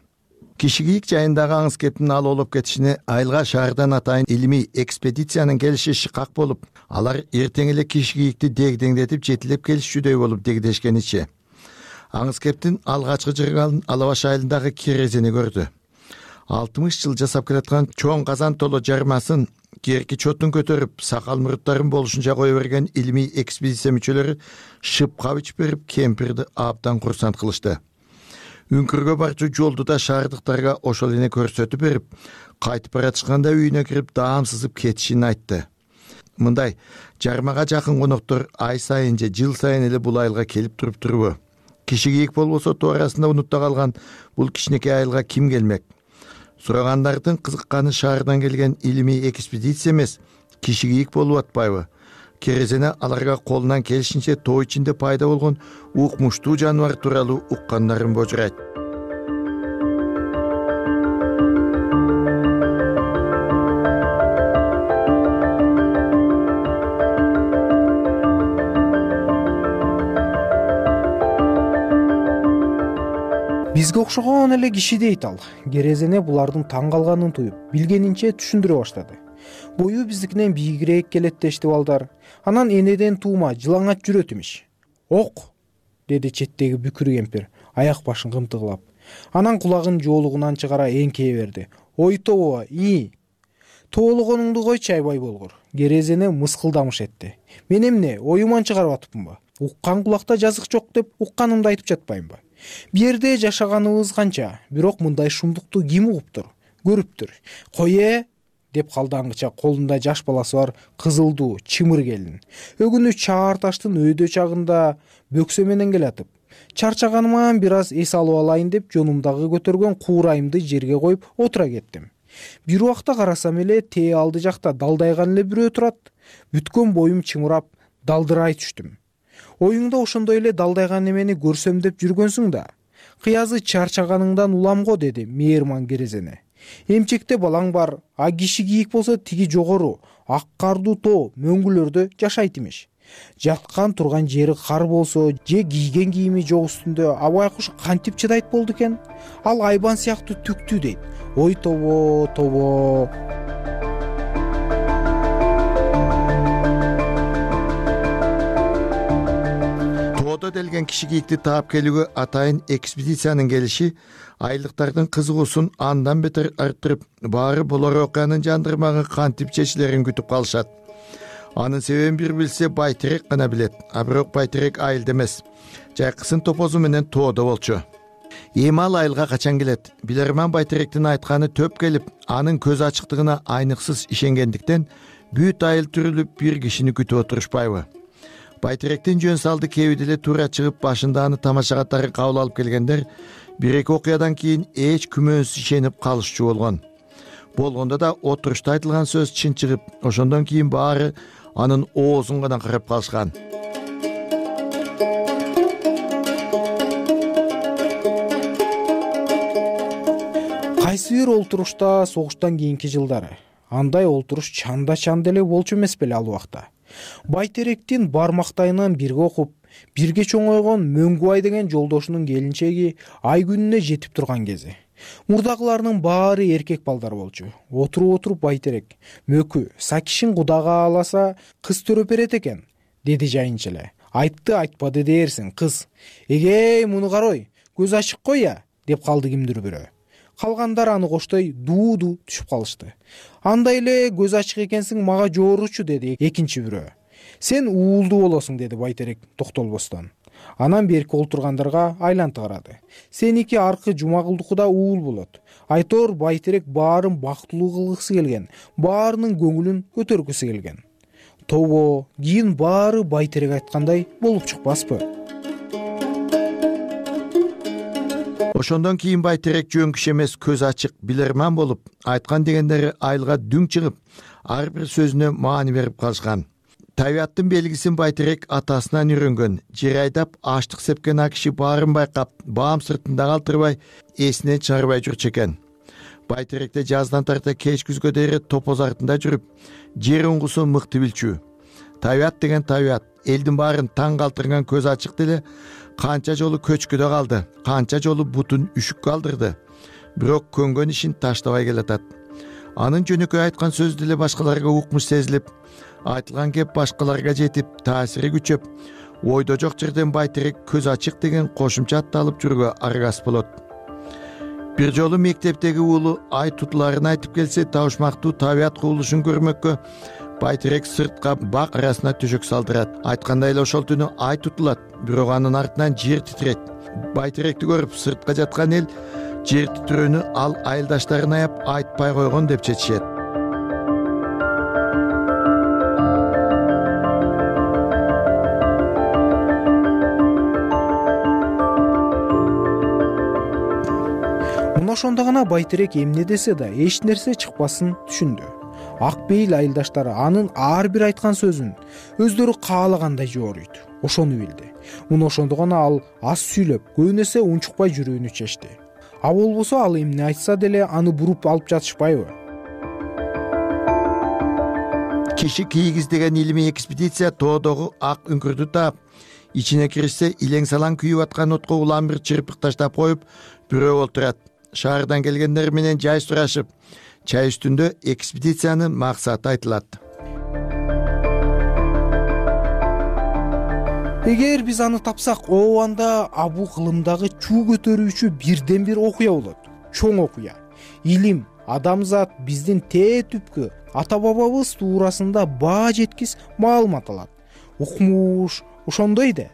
Кишигийик жайындагы аңыз кептин ал олуп кетишине айылга шаардан атайын илимий экспедициянын келиши шыкак болуп, алар эртең эле кишигийикти дегдеңдетип жетилеп келишчүдөй болуп дегдешкеничи. Аңыз кептин алгачкы жыргалын Алабаш айылындагы Керезени көрдү. алтымыш жыл жасап келаткан чоң казан толо жармасын керки чотун көтөрүп, сакал муруттарын болушунча кое берген илимий экспедиция мүчөлөрү шып кабыч берип, кемпирди абдан курсант кылышты. Үңкүргө барчу жолду да шаардыктарга ошол эне көрсөтүп берип, кайтып баратышканда үйүнө кирип даам сызып кетишин айтты. Мындай жармага жакын коноктор ай сайын же жыл сайын эле бул айылга келип туруп турбу? Кишигийик болбосо тоо арасында унутта калган бул кичинекей айылга ким келмек? Сурагандардын кызыкканы шаардан келген илимий экспедиция эмес, кишигийик болуп атпайбы? Керезене аларга колунан келишинче тоо ичинде пайда болгон укмуштуу жаныбар тууралуу уккандарын божурайт. Бизге окшогон эле киши дейт ал. Керезене булардын таң калганын туюп, билгенинче түшүндүрө баштады. Бою биздикинен бийигирээк келет дешти балдар. Анан энеден туума жылаңач жүрөт имиш. Ок, деди четтеги бүкүр кемпир, аяк башын кымтыгылап. Анан кулагын жоолугунан чыгара эңкее берди. Ой тоо, и. Тоологонуңду койчу айбай болгор. Керезене мыскылдамыш этти. Мен эмне, оюман чыгарып атыпмынбы? Уккан кулакта жазык жок деп укканымды айтып жатпаймынбы? Бу жерде жашаганыбыз канча, бирок мындай шумдукту ким угуптур, көрүптүр? Кое, деп калды аңгыча колунда жаш баласы бар кызылдуу чымыр келин. Өгүнү чаар таштын өйдө чагында бөксө менен келатып, чарчаганыман бир аз эс алып алайын деп жонумдагы көтөргөн куурайымды жерге коюп отура кеттим. Бир убакта карасам эле тээ алды жакта далдайган эле бирөө турат. Бүткөн боюм чымырап далдырай түштүм. Оюңда ошондой эле далдайган эмени көрсөм деп жүргөнсүң да. Кыязы чарчаганыңдан уламго, деди мээрман керезене. Эмчекте балаң бар, а киши кийик болсо тиги жогору ак кардуу тоо мөңгүлөрдө жашайт имиш. Жаткан турган жери кар болсо же кийген кийими жок үстүндө абай куш кантип чыдайт болду экен? Ал айбан сыяктуу түктүү дейт. Ой тобо, тобо. Тоодо делген киши кийикти таап келүүгө атайын экспедициянын келиши айылдыктардын кызыгуусун андан бетер арттырып, баары болор окуянын жандырмагы кантип чечилерин күтүп калышат. Анын себебин бир билсе Байтерек гана билет, а бирок Байтерек айылда эмес, жайкысын топозу менен тоодо болчу. Эми ал айылга качан келет? Билерман Байтеректин айтканы төп келип, анын көз ачыктыгына айныксыз ишенгендиктен бүт айыл түрүлүп бир кишини күтүп отурушпайбы? Байтеректин жөн салды кеби деле туура чыгып, башында аны тамаша катары кабыл алып келгендер бир эки окуядан кийин эч күмөнсүз ишенип калышчу болгон. Болгондо да отурушта айтылган сөз чын чыгып, ошондон кийин баары анын оозун гана карап калышкан. Кайсы бир олтурушта согуштан кийинки жылдары андай олтуруш чанда-чанда эле болчу эмес беле ал убакта. Байтеректин бармактайынан бирге окуп, бирге чоңойгон Мөңгүбай деген жолдошунун келинчеги ай күнүнө жетип турган кези. Мурдагыларнын баары эркек балдар болчу. Отуруп-отуруп Байтерек: "Мөкү, Сакишин кудага аласа кыз төрөп берет экен", деди жайынча эле. Айтты айтпады дээрсиң, кыз: "Эгей, муну карой, көз ачык кой я", деп калды кимдир бирөө. Калгандар аны коштой дуу-дуу түшүп калышты. "Андай эле көз ачык экенсиң, мага жооручу", деди экинчи бирөө. "Сен уулдуу болосуң", деди Байтерек токтолбостон. Анан берки олтургандарга айланты карады. "Сеники аркы Жумагулдукуда уул болот. Айтор Байтерек баарын бактылуу кылгысы келген, баарынын көңүлүн көтөргүсү келген". Тобо, кийин баары Байтерек айткандай болуп чыкпаспы? Ошондон кийин Байтерек жөн киши эмес, көз ачык, билерман болуп, айткан дегендери айылга дүң чыгып, ар бир сөзүнө маани берип калышкан. Табияттын белгисин Байтерек атасынан үйрөнгөн. Жер айдап, аштык сепкен а киши баарын байкап, баам сыртында калтырбай, эсинен чыгарбай жүрчү экен. Байтеректе жаздан тарта кеч күзгө дейре топоз артында жүрүп, жер уңгусун мыкты билчү. Табият деген табият, элдин баарын таң калтырган көз ачык деле канча жолу көчкүдө калды, канча жолу бутун үшүк калдырды. Бирок көнгөн ишин таштабай келатат. Анын жөнөкөй айткан сөзү деле башкаларга укмуш сезилип, айтылган кеп башкаларга жетип, таасири күчөп, ойдо жок жерден Байтерек көз ачык деген кошумча атты алып жүрүүгө аргас болот. Бир жолу мектептеги уулу ай тутуларын айтып келсе, табышмактуу табият кубулушун көрмөккө Байтерек сыртка бак арасына төшөк салдырат. Айткандай эле ошол түнү ай тутулат, бирок анын артынан жер титирейт. Байтеректи көрүп сыртка жаткан эл жер титирөөнү ал айылдаштарын аяп айтпай койгон деп чечишет. Мына ошондо гана Байтерек эмне десе да эч нерсе чыкпасын түшүндү. Ак бейил айылдаштары анын ар бир айткан сөзүн өздөрү каалагандай жооруйт. Ошону билди. Муну ошондо гана ал аз сүйлөп, көбүнесе унчукпай жүрүүнү чечти. А болбосо ал эмне айтса деле аны буруп алып жатышпайбы? Киши кийгиз деген илимий экспедиция тоодогу ак үңкүрдү таап, ичине киришсе илең салаң күйүп аткан отко улам бир чырпык таштап коюп, бирөө олтурат. Шаардан келгендер менен жай сурашып, чай үстүндө экспедициянын максаты айтылат. Эгер биз аны тапсак, ообанда абу кылымдагы чуу көтөрүүчү бирден бир окуя болот. Чоң окуя. Илим, адамзат, биздин тээ түпкү ата бабабыз туурасында баа жеткис маалымат алат. Укмуш, ошондой да.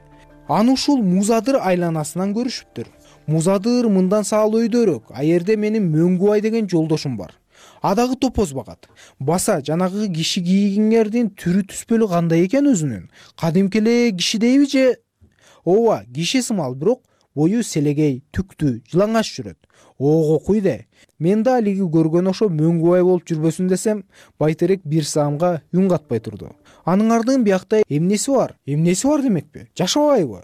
Аны ушул Музадыр айланасынан көрүшүптүр. Музадыр мындан саал өйдөрөөк, а жерде менин Мөңгүбай деген жолдошум бар. А дагы топоз багат. Баса жанагы киши кийгиңердин түрү түспөлү кандай экен өзүнүн? Кадимки эле кишидейби же? Ооба, киши сымал, бирок бою селегей, түктүү, жылаңач жүрөт. Ого куйде. Мен да алиги көргөн ошо мөңгүбай болуп жүрбөсүн десем, байтерек бир саамга үн катпай турду. Анын ардын биякта эмнеси бар? Эмнеси бар демекпи? Жашабайбы?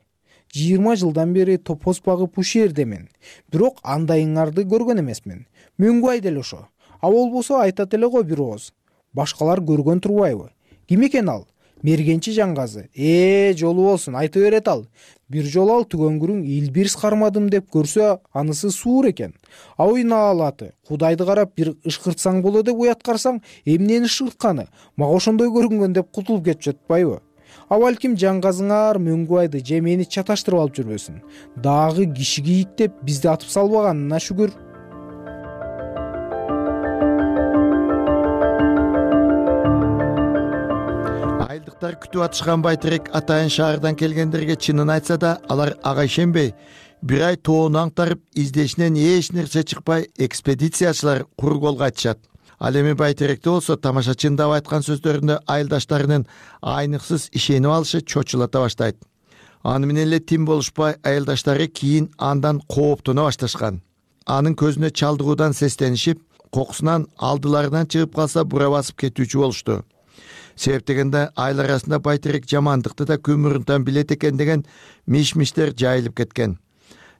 жыйырма жылдан бери топоз багып ушердемен. Бирок андайыңарды көргөн эмесмин. Мөңгүбай деле ошо. А болбосо айтат эле го бир ооз. Башкалар көргөн турбайбы? Ким экен ал? Мергенчи Жангазы. Э, жолу болсун, айта берет ал. Бир жолу ал түгөнгүрүң илбирс кармадым деп көрсө, анысы суур экен. А уйнаалаты, Кудайды карап бир ышкыртсаң болот деп уяткарсаң, эмнени ышкыртканы? Мага ошондой көрүнгөн деп кутулуп кетип жатпайбы? А балким Жангазыңар Мөңгүбайды же мени чаташтырып алып жүрбөсүн. Дагы киши кийик деп бизди атып салбаганына шүгүр. Айылдыктар күтүп атышкан байтерек атайын шаардан келгендерге чынын айтса да, алар ага ишенбей, бир ай тоону аңтарып, издешинен эч нерсе чыкпай, экспедициячылар кур колго айтышат. Ал эми байтеректе болсо тамашачынын дап айткан сөздөрүндө айылдаштарынын айныксыз ишенип алышы чочулата баштайт. Аны менен эле тим болушпай, айылдаштары кийин андан кооптоно башташкан. Анын көзүнө чалдыгуудан сестенишип, кокусунан алдыларынан чыгып калса бура басып кетүүчү болушту. Себеп дегенде айыл арасында байтерек жамандыкты да көмүрүнтан билет экен деген миш-миштер жайылып кеткен.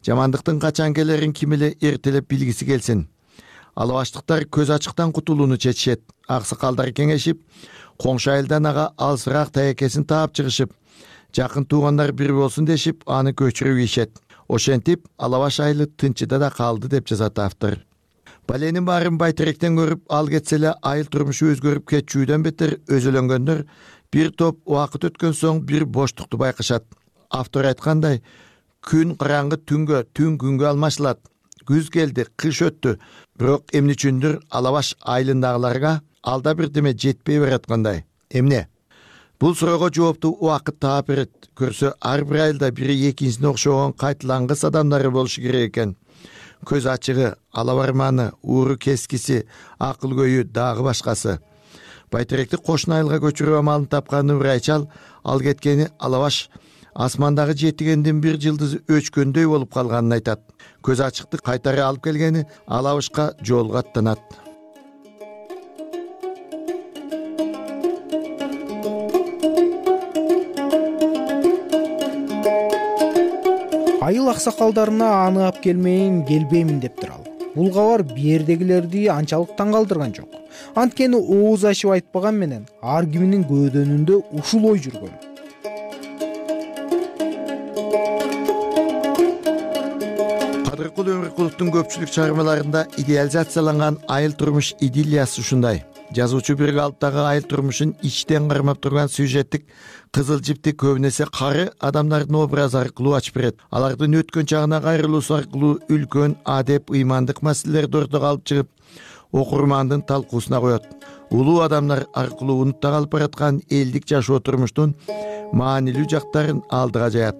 Жамандыктын качан келерин ким эле эртелеп билгиси келсин. Алабаштыктар көз ачыктан кутулууну чечишет. Аксакалдар кеңешип, коңшу айылдан ага алысыраак таекесин таап чыгышып, жакын туугандар бир болсун дешип, аны көчүрүп ийишет. Ошентип, Алабаш айылы тынчыда да калды деп жазат автор. Баленин баарын байтеректен көрүп, ал кетсе эле айыл турмушу өзгөрүп кетчүүдөн бетер өзөлөнгөндөр бир топ убакыт өткөн соң бир боштукту байкашат. Автор айткандай, күн караңгы түнгө, түн күнгө алмашылат. Күз келди, кыш өттү. Бирок эмне үчүндүр Алабаш айылындагыларга алда бирдеме жетпей бараткандай. Эмне? Бул суроого жоопту убакыт таап берет. Көрсө, ар бир айылда бири экинчисине окшогон кайтылангыс адамдары болушу керек экен. Көз ачыгы, алабарманы, ууру кескиси, акыл көйү дагы башкасы. Байтеректи кошун айылга көчүрүү амалын тапкан Нурайчал, ал кеткени Алабаш асмандагы жетигендин бир жылдызы өчкөндөй болуп калганын айтат. Көз ачыкты кайтары алып келгени Алабашка жолго аттанат. Айыл аксакалдарына аны алып келмейин, келбеймин дептир ал. Бул кабар биердегилерди анчалык таң калтырган жок. Анткени ооз ачып айтпаган менен ар киминин көөдөнүндө ушул ой жүргөн. Кадыркул Өмүркуловдун көпчүлүк чыгармаларында идеализацияланган айыл турмуш идиллиясы ушундай. Жазуучу бир калыптагы айыл турмушун ичтен кармап турган сюжеттик кызыл жипти көбүнесе кары адамдардын образы аркылуу ачып берет. Алардын өткөн чагына кайрылуусу аркылуу үлкөн адеп, ыймандык маселелерди ортого алып чыгып, окурмандын талкуусуна коет. Улуу адамдар аркылуу унутта калып бараткан элдик жашоо турмуштун маанилүү жактарын алдыга жаят.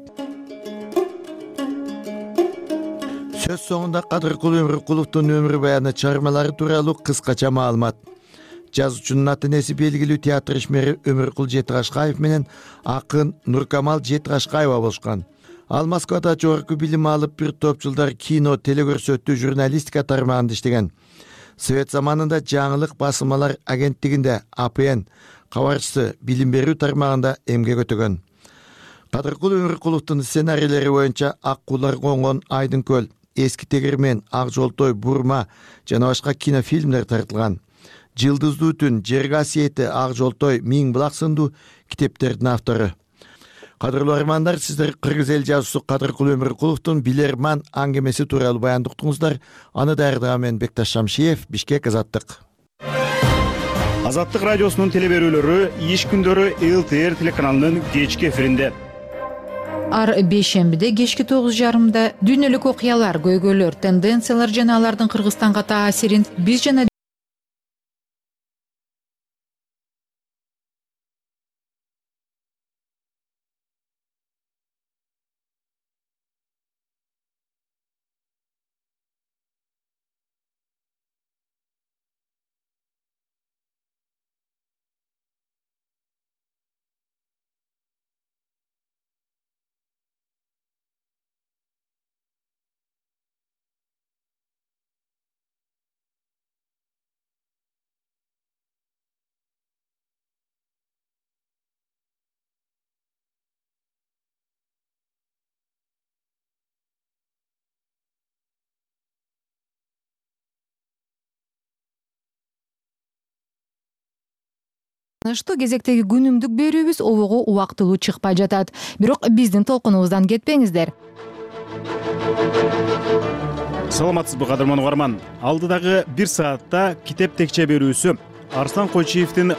Сөз соңунда Кадыркул Өмүркуловдун өмүр баяны чыгармалары тууралуу кыскача маалымат. Жазуучунун ата энеси белгилүү театр ишмери Өмүркул Жетикашкаев менен акын Нуркамал Жетикашкаева болушкан. Ал Москвада жогорку билим алып, бир топ жылдар кино, телекөрсөтүү, журналистика тармагында иштеген. Совет заманында жаңылык басылмалар агенттигинде А П Н кабарчысы билим берүү тармагында эмгек өтөгөн. Кадыркул Өмүркуловдун сценарийлери боюнча Ак куулар конгон Айдын көл, Эски тегермен, Ак жолтой, Бурма жана башка кинофильмдер тартылган. Жылдыздуу түн, Жер касиети, Ак жолтой, Миң булак сындуу китептердин автору. Кадырлуу армандар, сиздер кыргыз эл жазуусу Кадыркул Өмүркуловдун Билерман аңгемеси тууралуу баяндуктуңуздар. Аны даярдаган мен Бекташ Шамшиев, Бишкек, Азаттык. Азаттык радиосунун телеберүүлөрү иш күндөрү Л Т Р телеканалынын кечки эфиринде. Ар бейшембиде кечки тогуз жарымда дүйнөлүк окуялар, көйгөйлөр, тенденциялар жана алардын Кыргызстанга таасирин биз жана кезектеги күнүмдүк берүүбүз обого убактылуу чыкпай жатат. Бирок биздин толкунубуздан кетпеңиздер. Саламатсызбы кадырман угарман. Алдыдагы бир саатта китеп текче берүүсү Арслан Койчиевдин